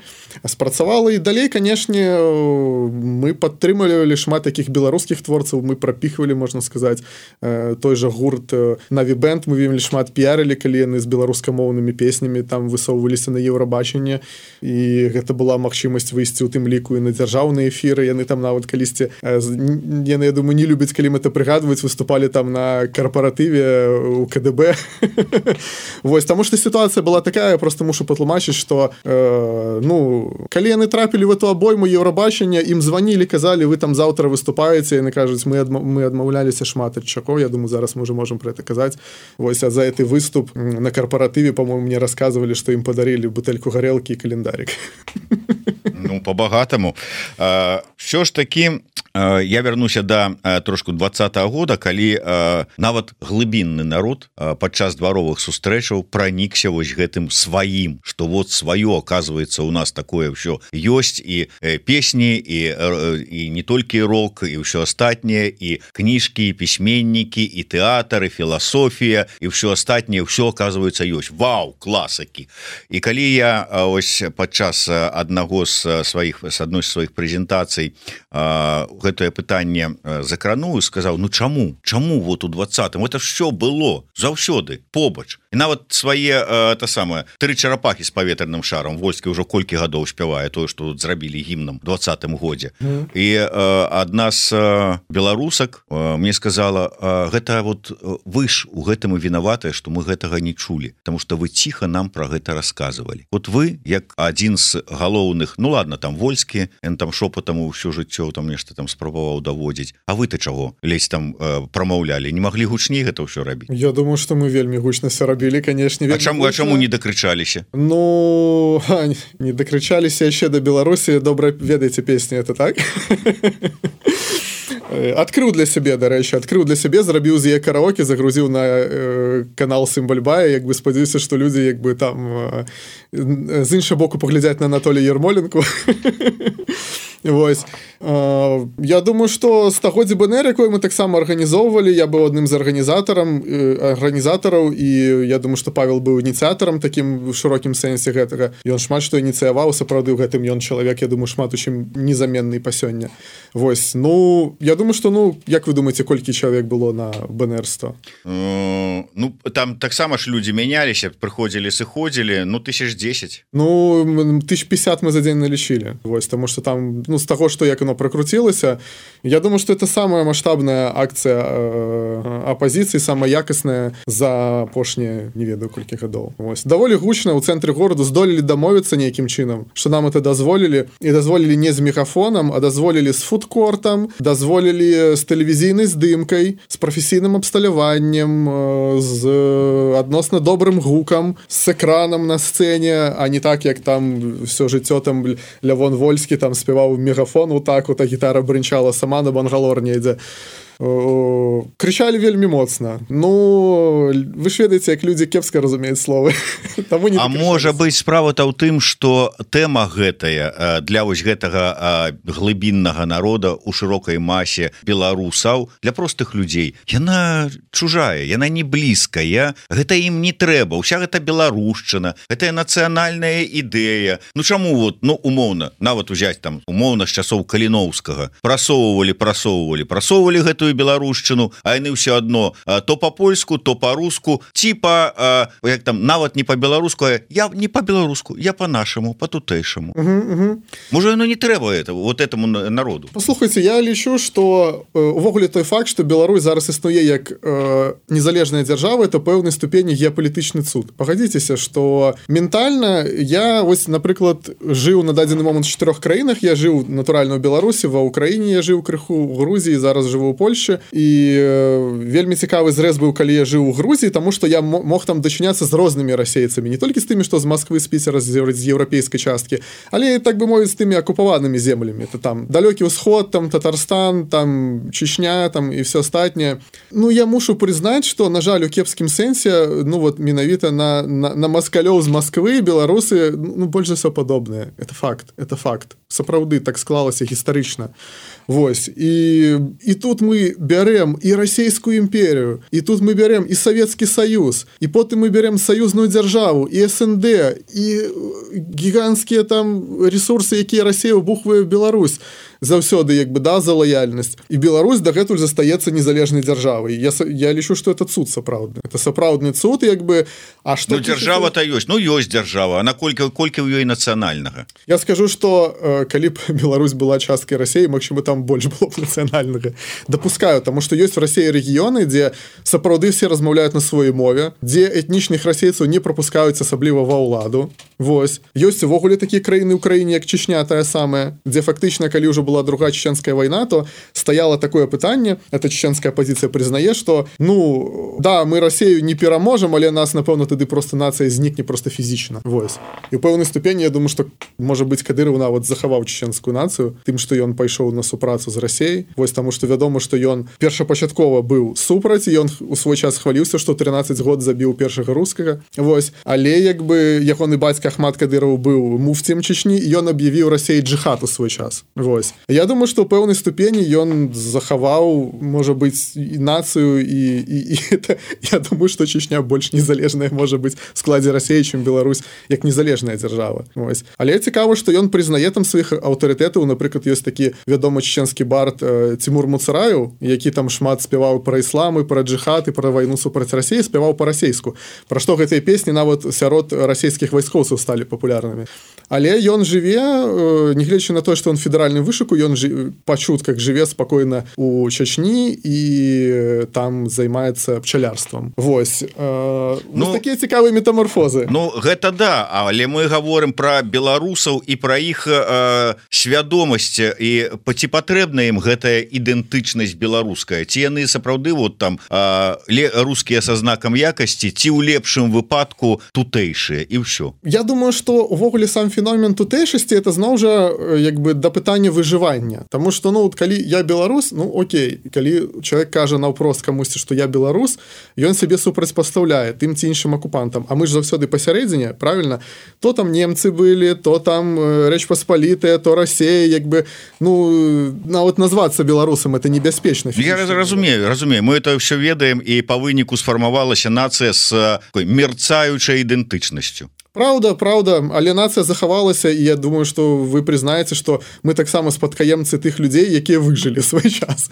спрацавала. І далей, канешне, мы падтрымлівалі шмат такіх беларускіх творцаў, мы прапіхвалі, можна сказаць, той жа гурт Na'vi Band, мы вельмі шмат піарылі, калі яны з беларускамоўнымі песнямі там высоўваліся на Еўрабачанне, і гэта была магчымасць выйсці ў тым ліку і на дзяржаўныя эфіры, яны там нават калісьці, яны, я думаю, не любяць, калі мы это прыгадваць, выступалі там на карпаратыве у КДБ. Вось, таму што сітуацыя была такая, я просто мушу патлумачыць, што калі яны трапілі в эту абойму Еўрабачання, ім званілі, казалі, вы там заўтра выступаеце, яны кажуць, мы адмаўляліся шмат ад чаго, я думаю, зараз мы уже можем про это казаць. Вось, а за гэты выступ на карпаратыве, по-моему, мне рассказывали, что им подарили бутэльку гарэлкі і календарик. Ну, по-багатаму. Що ж таки, я вернуся да трошку 20-го года, калі нават глыбінны народ падчас дваровых сустрэчаў пранікся вось гэтым сваім, што вот сваё, оказывается, у нас такое ўсё ёсць, і песні, і не толькі рок, і ўсё астатняе, і кніжкі, і пісьменнікі, і тэатр, і філасофія, і ўсё астатняе, ўсё, оказывается, ёсць. Вау, класакі! І калі я ось падчас адной з сваіх прэзентацый гэтае пытанне закрануў і сказаў, ну чаму вот у 20-м это все было заўсёды побач, і нават свае тры чарапахі з паветраным шарам Вольскі ўжо колькі гадоў спявае тое, што тут зрабілі гімнам 20-м годзе. І адна з беларусак мне сказала, гэта вот вы ж у гэтым і вінаватыя, што мы гэтага не чулі, потому что вы ціха нам про гэта рассказывалі. Вот вы, як адзін з галоўных, ну ладно, там Вольскі, ён там шопатам усё жыццё там нешта там спрабаваў даводзіць. А вы-то чаго лезь там прамаўлялі? Не маглі гучней гэта ўсё рабіць? Я думаю, што мы вельмі гучна все рабілі, канешне. А чаму не дакрычаліся? Ну, не дакрычаліся яшчэ да Беларусі, добра ведаеце песні, это так? Адкрыў для сябе, дарэчы, зрабіў з яе караоке, загрузіў на канал Сімбальбая, як бы спадзяюся, што людзі як бы там з іншага боку паглядзяць на Анатолія Ярмоленку. Вось. Я думаю, што стагоддзе БНР, якое мы таксама арганізоўвалі, я быў адным з арганізатараў, і я думаю, што Павел быў ініцыятарам такім в шырокім сэнсе гэтага. Ён шмат што ініцыяваў, сапраўды ў гэтым ён чалавек, я думаю, шмат у чым незаменны па сёння. Вось. Ну, я думаю, што, як вы думаеце, колькі чалавек было на БНР 100? Ну, там таксама ж людзі мяняліся, прыходзілі, сыходзілі, 1010. Ну, 1050 мы за дзень налічылі. Вось, таму што там, з таго, што як оно прокрутілася, я думаю, што это самая маштабная акцыя апазіцыі, самая якасная за апошнія, не ведаю, колькі гадоў. Вось. Даволі гучна ў цэнтры гораду здолелі дамовіцца нейкім чынам, што нам это дазволілі, і дазволілі не з мегафонам, а дазволілі з фудкортам, дазволілі з тэлевізійнай здымкай, з прафесійным абсталяваннем, з адносна добрым гукам, з экраном на сцэне, а не так, як там все жыццё там Лявон Вольскі там спяваў мегафон, вот так вот, а гітара брынчала сама на бангалор не ідзе. Крычалі вельмі моцна. Ну, вы ж ведаеце, як людзі кепска разумеюць словы. А можа быць, справа-то ў тым, што тэма гэтая для вось гэтага глыбіннага народа ў шырокай масе беларусаў, для простых людзей, яна чужая, яна не блізкая, гэта ім не трэба, уся гэта беларушчына, гэтая нацыянальная ідэя. Ну чаму вот, умоўна, нават узяць там умоўна з часоў Каліноўскага, прасоўвалі гэтую беларушчыну, а яны ўсё адно то па-польску, то па-руску, ці як там, нават не па-беларуску, я не па-беларуску, я па-нашаму, па-тутэйшаму. Можа, яно не трэба вот этому народу. Паслухайце, я лічу, што увогуле той факт, што Беларусь зараз існуе як незалежная дзяржава, это пэўнай ступені геапалітычны цуд. Пагадзіцеся, што ментальна я, вось, напрыклад, жыў на дадзены момант в 4 краінах, я жыў натуральна ў Беларусі, ва Ўкраіне я жыў крыху, у Грузіі, зараз жыву ў Польшчы, і вельмі цікавы зрэз быў, калі я жыў у Грузіі, таму што я мог там дачыняцца з рознымі расейцамі, не толькі з тымі, што з Масквы, з Піцера, з еўрапейскай часткі, але, так бы мовіць, з тымі акупаванымі землямі. Это там далёкі ўсход, там Татарстан, там Чечня, там і все астатняе. Ну, я мушу прызнаць, што, на жаль, у кепскім сэнсе, менавіта на маскалёў з Масквы беларусы, больш за ўсё падобныя. Это факт. сапраўды так склалася гістарычна. Вось і тут мы бярем і расійскую імперію, і тут мы бярем і Савецкі Саюз, і потым мы бярем саюзную дзяржаву, і СНД, і гіганцкія там ресурсы, якія Расія вбухвае в Беларусь заўсёды, як бы, да, за лаяльнасць. І Беларусь дагэтуль застаецца незалежнай дзяржавай. Я лічу, што это цуд сапраўдны. Это сапраўдны цуд, як бы, а што... Ну, дзяржава-то ёсць. Ну, ёсць дзяржава. А наколькі ў ёй нацыянальнага? Я скажу, што калі б Беларусь была часткай Расіі, магчыма, там больш было б нацыянальнага. Дапускаю, таму што ёсць у Расіі рэгіёны, дзе сапраўды все размаўляюць на сваёй мове, дзе этнічных расейцаў не прапускаюць асабліва ва ўладу. Вось. Ёсць увогуле такія краіны ў краіне, як Чечня, тая самая, дзе фактычна, калі ўжо была другая чеченская война, то стояло такое пытанне, эта чеченская оппозиция признае, что, ну, да, мы Россию не пераможем, але нас, напэўна, тады просто нация знікне просто фізічна. Вось. І ў пэўнай ступені, я думаю, что, может быть, Кадыров нават захаваў чеченскую нацию тым, что ён пайшоў на супрацу з Расіяй. Вось, таму што вядома, што ён першапачаткова быў супраць, і ён у свой час хваліўся, што 13 год забіў першага рускага. Вось. Але, як бы, ягоны бацька Ахмат Кадыров быў муфцем Чечні, і ён аб'явіў Расіі джихад у свой час. Вось. Я думаю, што ў пэўнай ступені ён захаваў, можа быць, і нацыю, і это, я думаю, што Чечня больш незалежная можа быць в складзе Расіі, чым Беларусь, як незалежная дзяржава. Вось. Але цікава, што ён прызнае там сваіх аўтарытэтаў. Напрыклад, ёсць такі вядомы чеченскі бард Тимур Муцараев, які там шмат спяваў пра іслам і пра джихад і пра вайну супраць Расіі, спяваў па-расейску. Пра што гэтыя песні нават сярод расійскіх вайскоўцаў сталі папулярнымі. Але ён жыве, нягледзячы на тое, што ён федэральны вышуку, ён па чутках жыве спакойна у Чачні і там займаецца пчалярствам. Вось. Ну, такія цікавыя метамарфозы. Ну, гэта да, але мы гаворым пра беларусаў і пра іх свядомасць, і ці патрэбна ім гэтая ідэнтычнасць беларуская, ці яны сапраўды вот там рускія са знакам якасці, ці ў лепшым выпадку тутэйшыя, і ўсё. Я думаю, што увогуле сам феномен тутэйшасці это зноў жа як бы да пытання выжывання. Таму што, ну, калі я беларус, ну, окей, калі чалавек кажа наўпрост камусьці, што я беларус, ён сябе супрацьпастаўляе тым ці іншым акупантам. А мы ж заўсёды пасярэдзіне, правільна? То там немцы былі, то там Рэч Паспалітая, то Расія, як бы, ну, нават назвацца беларусам это небяспечна. Я разумею. Мы это ўсё ведаем, і па выніку сфармавалася нацыя з такой мерцаючай ідэнтычнасцю. Праўда, але нацыя захавалася, і я думаю, што вы прызнаеце, што мы таксама спадкаемцы тых людзей, якія выжылі свой час.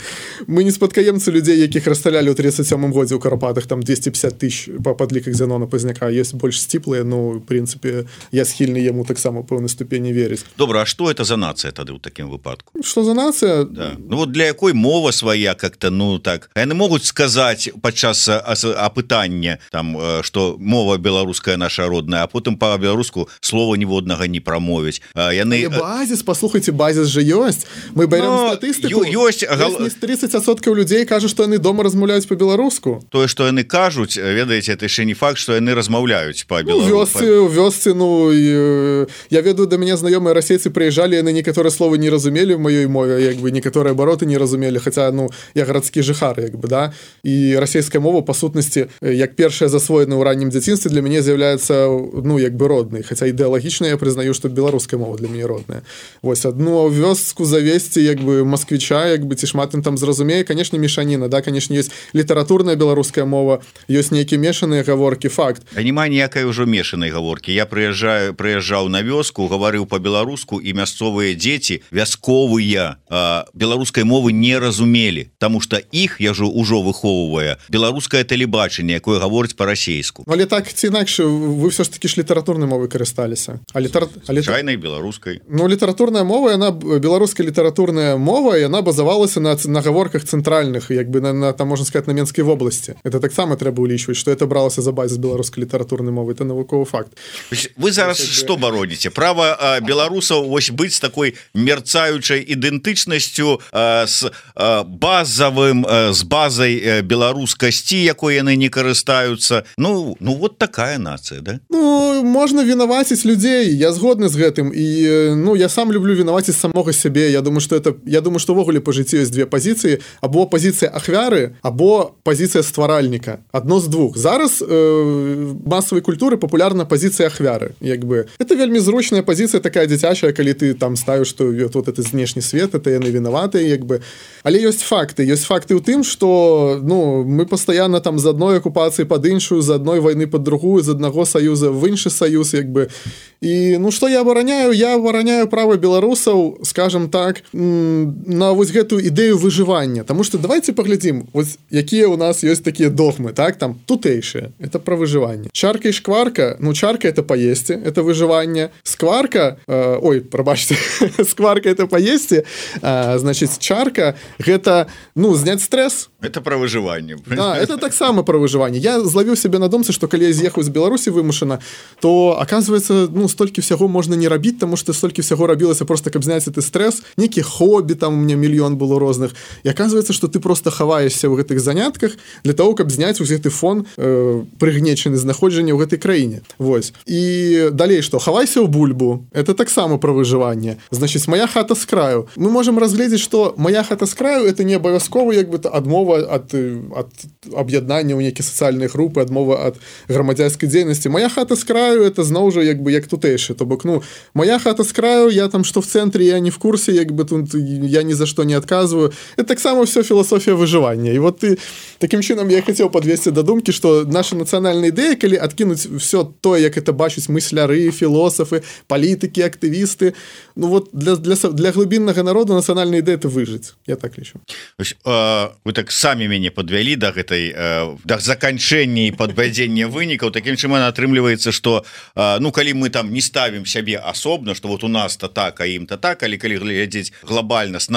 Мы не спадкаемцы людзей, якіх расстралялі ў 37-м годзе ў Карпатах, там 250 тысяч па падліках Зянона Пазняка. Ёсць больш сціплыя, ну, в прынцыпе, я схільны яму таксама ў пэўнай ступені верыць. Добра, а што это за нацыя тады ў такім выпадку? Што за нацыя? Да. Ну, вот для якой мова свая как-то, ну, так. Яны могуць сказаць падчас апытання, там, што мова беларуская наша родная, а потым по-беларуску слова ніводнага не прамовіць. Яны... Базіс, паслухайце, базіс же ёсць. Мы бярем статыстыку. Ёсць 30% людзей кажуць, што яны дома размаўляюць па-беларуску. Тое, што яны кажуць, ведаеце, это яшчэ не факт, што яны размаўляюць па-беларуску. У вёсцы, ну, я ведаю, да мяне знаёмыя расейцы прыязджалі, яны некаторыя словы не разумелі в маёй мове, як бы некаторыя абароты не разумелі, хаця, ну, я гарадскі жыхар, як бы, да. І расійская мова, па сутнасці, як першая засвоена ў раннім дзяцінстве, для мяне з'яўляецца, ну, як бы роднай, хаця ідэалагічна я прызнаю, што беларуская мова для мяне родная. Вось адну вёску завесці, як бы москвіча, як бы ці шмат ім там зразумее, канешне, мешаніна, да, канешне, ёсць літаратурная беларуская мова, ёсць нейкія мешаныя гаворкі, факт. А няма ніякай ужо мешанай гаворкі. Я прыязджаў на вёску, гаварыў па-беларуску, і мясцовыя дзеці, вясковыя, беларускай мовы не разумелі, таму што іх, я ўжо выхоўвае беларускае тэлебачанне, якое гаворыць па-расейску. Але так ці інакш, вы ўсё ж такі ж літаратурнай мовай карысталіся. Звычайнай беларускай. Ну, літаратурная мова, яна, беларуская літаратурная мова, яна базавалася на гаворках цэнтральных, як бы, там, можна сказаць, на Менскай вобласці. Это таксама трэба ўлічваць, што это бралася за базіс беларускай літаратурнай мовы. Это навуковы факт. Вы зараз што бароніце? Права беларусаў вось быць з такой мерцаючай ідэнтычнасцю, з базай беларускасці, якой яны не карыстаюцца. Ну, вот такая нацыя, да? Ну, можна вінаваціць людзей, я згодны з гэтым, і ну я сам люблю вінаваціць самога сябе. Я думаю, што ўвогуле па жыцці ёсць две пазіцыі, або пазіцыя ахвяры, або пазіцыя стваральніка. Адно з двух. Зараз масавай культуры папулярна пазіцыя ахвяры. Як бы это вельмі зручная пазіцыя, такая дзіцячая, калі ты там ставіш, што вот это знешні свет, это яны вінаватыя, як бы. Але ёсць факты ў тым, што ну мы пастаянна там з адной акупацыі пад іншую, з адной вайны пад другую, з аднаго саюза в іншы саюз, як бы. І ну што я абараняю права беларусаў, скажем так, на вось гэтую ідэю выжывання. Таму што давайте паглядзім, вось якія ў нас ёсць такія догмы, так, там тутэйшыя, это пра выжыванне. Чарка і шкварка, ну чарка это паесці, это выжыванне. Скварка, прабачце, скварка это паесці, значыць чарка гэта, ну, зняць стресс. Это пра выжыванне. Да, это таксама пра выжыванне. Я злавіў сябе на думцы, што калі я з'ехаў з Беларусі вымушана, то оказывается, ну, столькі всяго можна не рабіць, таму што столькі всяго рабілася просто, каб зняць гэты стресс. Некі хобі, там у меня мільён было розных. І оказывается, што ты просто хаваешся ў гэтых занятках для того, каб зняць вось гэты фон прыгнечаны знаходжання ў гэтай краіне. Вось. І далей што? Хавайся ў бульбу. Это таксама пра выжыванне. Значыць, моя хата з краю. Мы можам разгледзець, што моя хата з краю это не абавязкова як бы адмова ад аб'яднання ў нейкія сацыяльныя групы, адмова ад грамадзянскай дзейнасці. Моя хата з краю это зноў жа як бы як тутэйшы. То бок, ну, моя хата з краю, я там што в цэнтры, я не в курсе, як бы тут я ні за што не адказваю. Это таксама ўсё філасофія выжывання. І вот ты такім чынам я хацеў падвесці да думкі, што наша нацыянальная ідэя, калі адкінуць все тое, як это бачаць мысляры, філосафы, палітыкі, актывісты, ну вот для глыбіннага народа нацыянальная ідэя это выжыць. Я так лічу. Вы так самі мяне подвялі да гэтай да заканчэння і падвядзення вынікаў. Такім чынам атрымліваецца, што ну калі мы там не ставім сябе асобна, што вот у нас-то так, а ім-то так, але калі глядзець глобальна з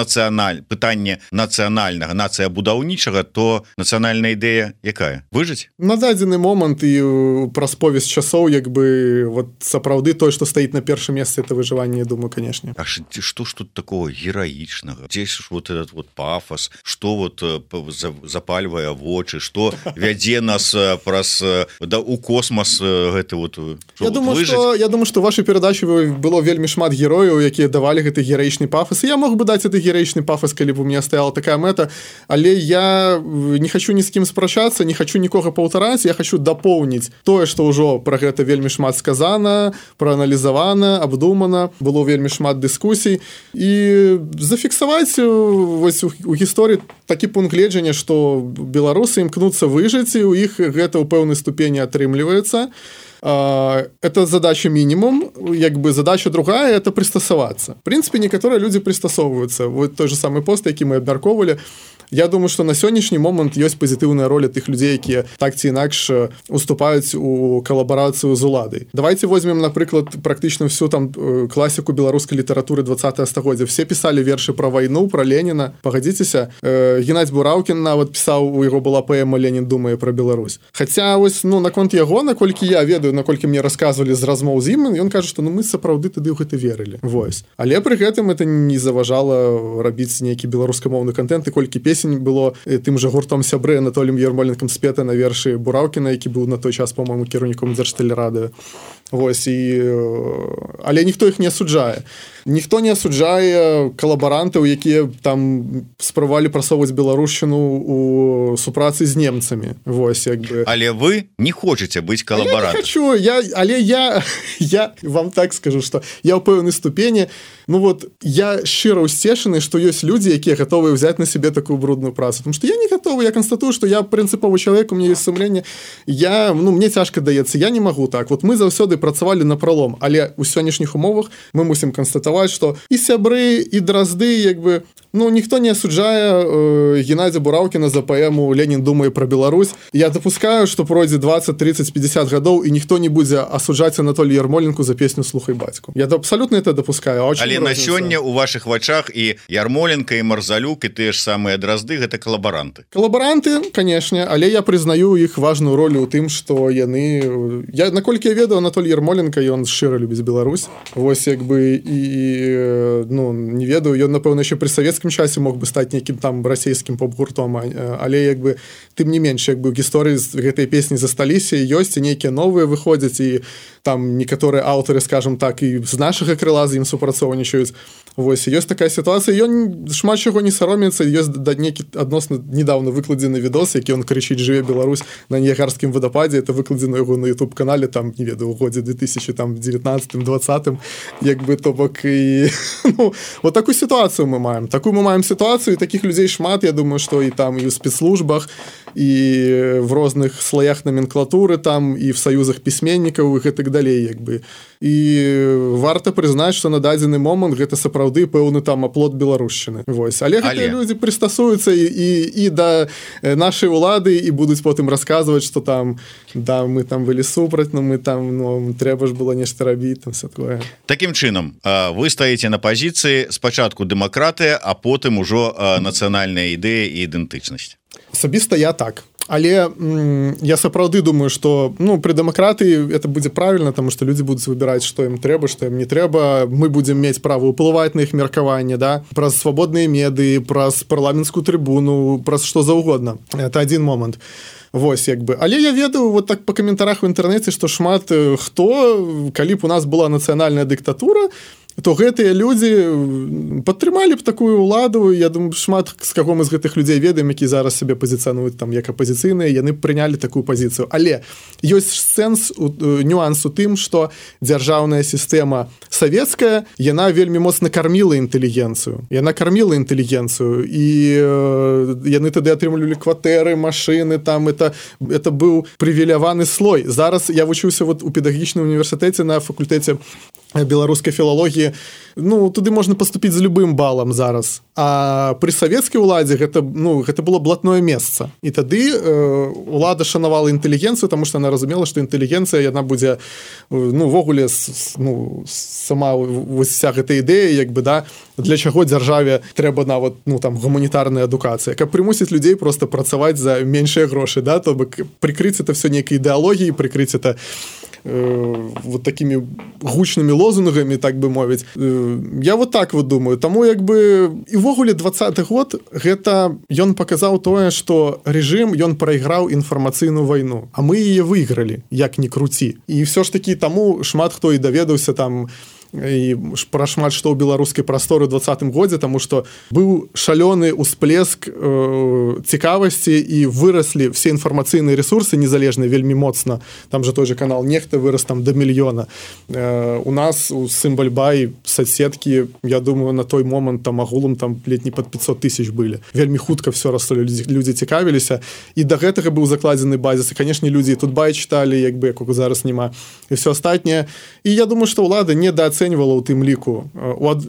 пытанне нацыянальнага, нацыябудаўнічага, то нацыянальная ідэя якая? Выжыць? На дадзены момант і праз повесць часоў як бы вот сапраўды тое, што стаіць на першым месцы, это выжыванне, я думаю, канешне. А што ж тут такого гераічнага? Дзе ж вот этот вот пафос, што вот запальвае вочы, што вядзе нас праз у космас гэты вот я думаю, што вашай перадачы было вельмі шмат герояў, якія давалі гэты гераічны пафос. Я мог бы даць гэты гераічны пафос, калі б у меня стаяла такая мэта, але я не хочу ні з кім спрачацца, не хочу нікога паўтараць, я хочу дапоўніць тое, што ўжо пра гэта вельмі шмат сказана, прааналізавана, абдумана, было вельмі шмат дыскусій і зафіксаваць вось у гісторыі такі пункт гледжання, што беларусы імкнуцца выжыць, і у іх гэта ў пэўнай ступені атрымліваецца. Это задача минимум, як бы задача другая это пристасоваться. В принципе, некоторые люди пристасовываются. Вот той же самый пост, які мы абмяркоўвалі. Я думаю, что на сённяшні момант ёсць пазітыўная роля тых людзей, якія так ці інакш уступаюць у калабарацыю з уладай. Давайте возьмем, напрыклад, практычна всю там класіку беларускай літаратуры 20 стагоддзя. Все писали вершы про вайну, про Леніна. Пагадзіцеся, Геннадзь Бураўкін нават пісаў, у яго была паэма «Ленін думае про Беларусь». Хаця вось, ну, наконт яго, наколькі я ведаю, наколькі мне расказвалі з размоў з ім, ён кажа, што ну мы сапраўды тады ў гэта верылі. Вось. Але пры гэтым это не заважала рабіць нейкі беларускамоўны контент, і колькі песень было тым жа гуртом сябры Анатоліем Ярмоленкам спета на вершы Бураўкіна, які быў на той час, по-моему, кіраўніком Дзяржтэлерадыё. Вось, але ніхто іх не асуджае. Ніхто не асуджае калабарантаў, якія там спрабавалі прасоўваць беларушчыну у супрацы з немцамі. Вось, як бы. Але вы не хочаце быць калабарантам. Я не хочу, але я вам так скажу, што я ў пэўнай ступені, ну вот, я шчыра ўсцешаны, што ёсць людзі, якія гатовыя ўзяць на сябе такую брудную працу. Потому што я не гатовы, я канстатую, што я прынцыповы чалавек, у меня ёсць сумленне. Мне цяжка даецца, я не магу так. Вот мы заўсёды працавалі на пролом, але ў сённяшніх умовах мы мусім канстатаваць, што і сябры, і дразды, як бы, ну, ніхто не асуджае Геннадзя Бураўкіна за паэму «Ленін думае про Беларусь». Я допускаю, што пройдзе 20, 30, 50 гадоў, і ніхто не будзе асуджаць Анатолія Ярмоленку за песню «Слухай бацьку». Я абсолютно это допускаю. Але на сёння у ваших вачах і Ярмоленко і Марзалюк і тыя ж самыя Дразды гэта калабаранты, канешне, але я прызнаю іх важную ролю ў тым, што яны наколькі я ведаю, Анатолий Ярмоленко ён шчыра любіць Беларусь. Вось як бы і не ведаю, ён напэўна яшчэ пры савецкім часе мог бы стаць нейкім там расійскім поп-гуртом, але як бы тым не менш як бы гісторыі з гэтай песні засталіся, ёсць і нейкія новыя выходзяць, і там некаторыя аўтары, скажем так, і з нашага крыла з ім супрацоўнічаюць. Вось, ёсць такая сітуацыя, ён шмат чаго не саромецца, ёсць нейкі адносна недавно выкладзены відос, які ён крычыць «Жыве Беларусь» на Ніягарскім вадападзе, это выкладзена яго на YouTube-канале, там, не ведаю, у годзе 2019-2020, як бы, то бок, і вот такую сітуацыю мы маем. Такую мы маем сітуацыю, і такіх людзей шмат, я думаю, што і там, і ў спецслужбах, і в розных слоях номенклатуры там, і в саюзах пісьменнікаў, і гэтак далей, як бы. І варта прызнаць, што на дадзены момант гэта сапраўды пэўны там аплот беларушчыны. Вось. Але гэтыя людзі прыстасуюцца і да нашай улады і будуць потым расказваць, што там да, мы там былі супраць, но мы там трэба ж было нешта рабіць, там все такое. Такім чынам, вы стаіце на пазіцыі спачатку дэмакратыя, а потым ужо нацыянальная ідэя і ідэнтычнасць. Асабіста я так. Але я сапраўды думаю, што пры дэмакратыі это будзе правільна, таму што людзі будуць выбіраць, што ім трэба, што ім не трэба. Мы будзем мець права ўплываць на іх меркаванне, да? Праз свабодныя медыі, праз парламенцкую трыбуну, праз што заўгодна. Это адзін момант. Вось, як бы. Але я ведаю вот так па каментарах у інтэрнэце, што шмат хто, калі б у нас была нацыянальная дыктатура, то гэтыя людзі падтрымалі б такую ўладу. Я думаю, шмат з каго мы з гэтых людзей ведаем, які зараз сябе пазіцыянуюць там як апазіцыйныя, яны прынялі такую пазіцыю. Але ёсць сэнс, нюанс у тым, што дзяржаўная сістэма савецкая, яна вельмі моцна карміла інтэлігенцыю. Яна карміла інтэлігенцыю, і яны тады атрымлівалі кватэры, машыны, там это быў прывіляваны слой. Зараз я вучыўся вот у педагагічным універсітэце на факультэце беларускай філалогіі. Туды можна паступіць з любым балам зараз. А пры савецкай уладзе гэта было блатное месца. І тады улада шанавала інтэлігенцыю, таму што яна разумела, што інтэлігенцыя яна будзе ввогуле сама вся гэта ідэя, як бы, да, для чаго дзяржаве трэба нават там гуманітарная адукацыя, каб прымусіць людзей проста працаваць за меншыя грошы, да, то бок прыкрыць это все нейкай ідэалогіяй, прыкрыць это вот такими гучнымі лозунгамі, так бы мовіць. Я вот так вот думаю. Таму як бы і ввогуле 20-й год гэта ён паказаў тое, што рэжым ён прайграў інфармацыйную вайну, а мы яе выйгралі, як ні круці. І ўсё ж такі таму шмат хто і даведаўся там і пра шмат што ў беларускай прасторы ў 20-м годзе, таму што быў шалёны ўсплеск цікавасці і выраслі все інфармацыйныя ресурсы незалежныя вельмі моцна. Там же той же канал Нехта вырас там до 1 мільёна. У нас у Сімбальбай соцсеткі, я думаю, на той момант там агулам там ледь не пад 500 000 былі. Вельмі хутка все расло, людзі цікавіліся, і да гэтага быў закладзены базіс, і канешне людзі тут бай чыталі, як бы якога зараз няма, і все астатняе. І я думаю, што ўлада недооценьвала ў тым ліку.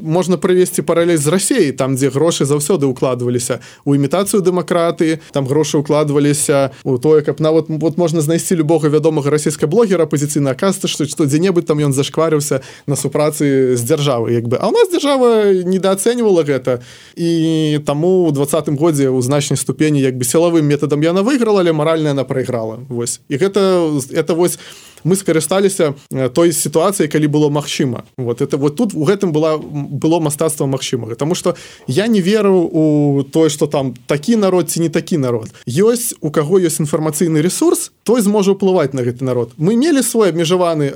Можна прывесці паралель з Расіяй, там дзе грошы заўсёды укладваліся у імітацыю дэмакратыі, там грошы укладваліся у тое, каб нават вот можна знайсці любога вядомага расійскага блогера апазіцыйна, аказваецца, што дзе-небудзь там ён зашкварыўся на супрацы з дзяржавай, як бы. А ў нас дзяржава недооценьвала гэта, і таму ў 20-м годзе ў значнай ступені як бы сілавым метадам яна выйграла, але маральна яна прайграла. Вось. І гэта вось мы скарысталіся той сітуацыяй, калі было магчыма. Вот тут у гэтым было мастацтва магчымага. Таму што я не веру у тое, што там такі народ ці не такі народ. Ёсць, у каго ёсць інфармацыйны ресурс, той зможа ўплываць на гэты народ. Мы мелі свой абмежаваны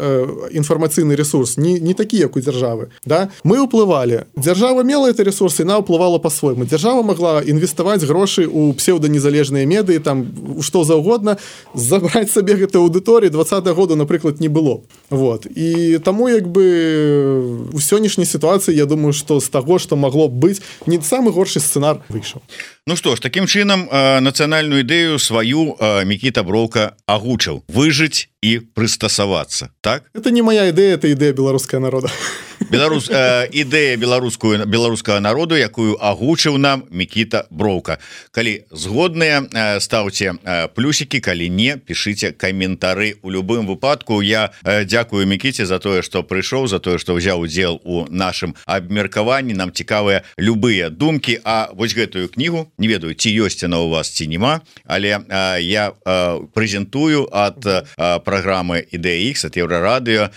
інфармацыйны ресурс, не такі, як у дзяржавы. Да? Мы ўплывалі. Дзяржава мела гэты ресурс, і яна ўплывала па-свойму. Дзяржава магла інвеставаць грошы ў псеўданезалежныя медыі, там што заўгодна, забраць сабе гэтай аўдыторыі 20-го года, напрыклад, не было. Вот. І таму як бы у сённяшняй сітуацыі я думаю, што з таго, што магло быць, не самы горшы сцэнар выйшаў. Ну што ж, такім чынам нацыянальную ідэю сваю Мікіта Броўка агучыў. Выжыць і прыстасавацца, так? Это не моя ідэя, это ідэя беларускага народа. Ідэя беларускага народу, якую агучыў нам Мікіта Броўка. Калі згодныя, стаўце плюсікі, калі не, пішыце каментары. У любым выпадку я дзякую Мікіце за тое, што прыйшоў, за тое, што ўзяў удзел у нашым абмеркаванні. Нам цікавыя любыя думкі, а вось гэтую кнігу, не ведаю, ці ёсць яна у вас, ці нема, але я прэзентую ад праграмы Ідэя Х, ад Еўрарадыё,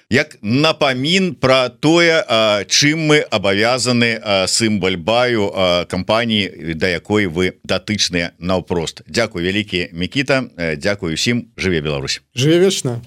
як напамін пра тое, чым мы абавязаны Сымбальбаю, кампаніі, да якой вы датычныя наўпрост. Дзякуй вялікі, Мікіта, дзякуй усім, жыве Беларусь. Жыве вечна.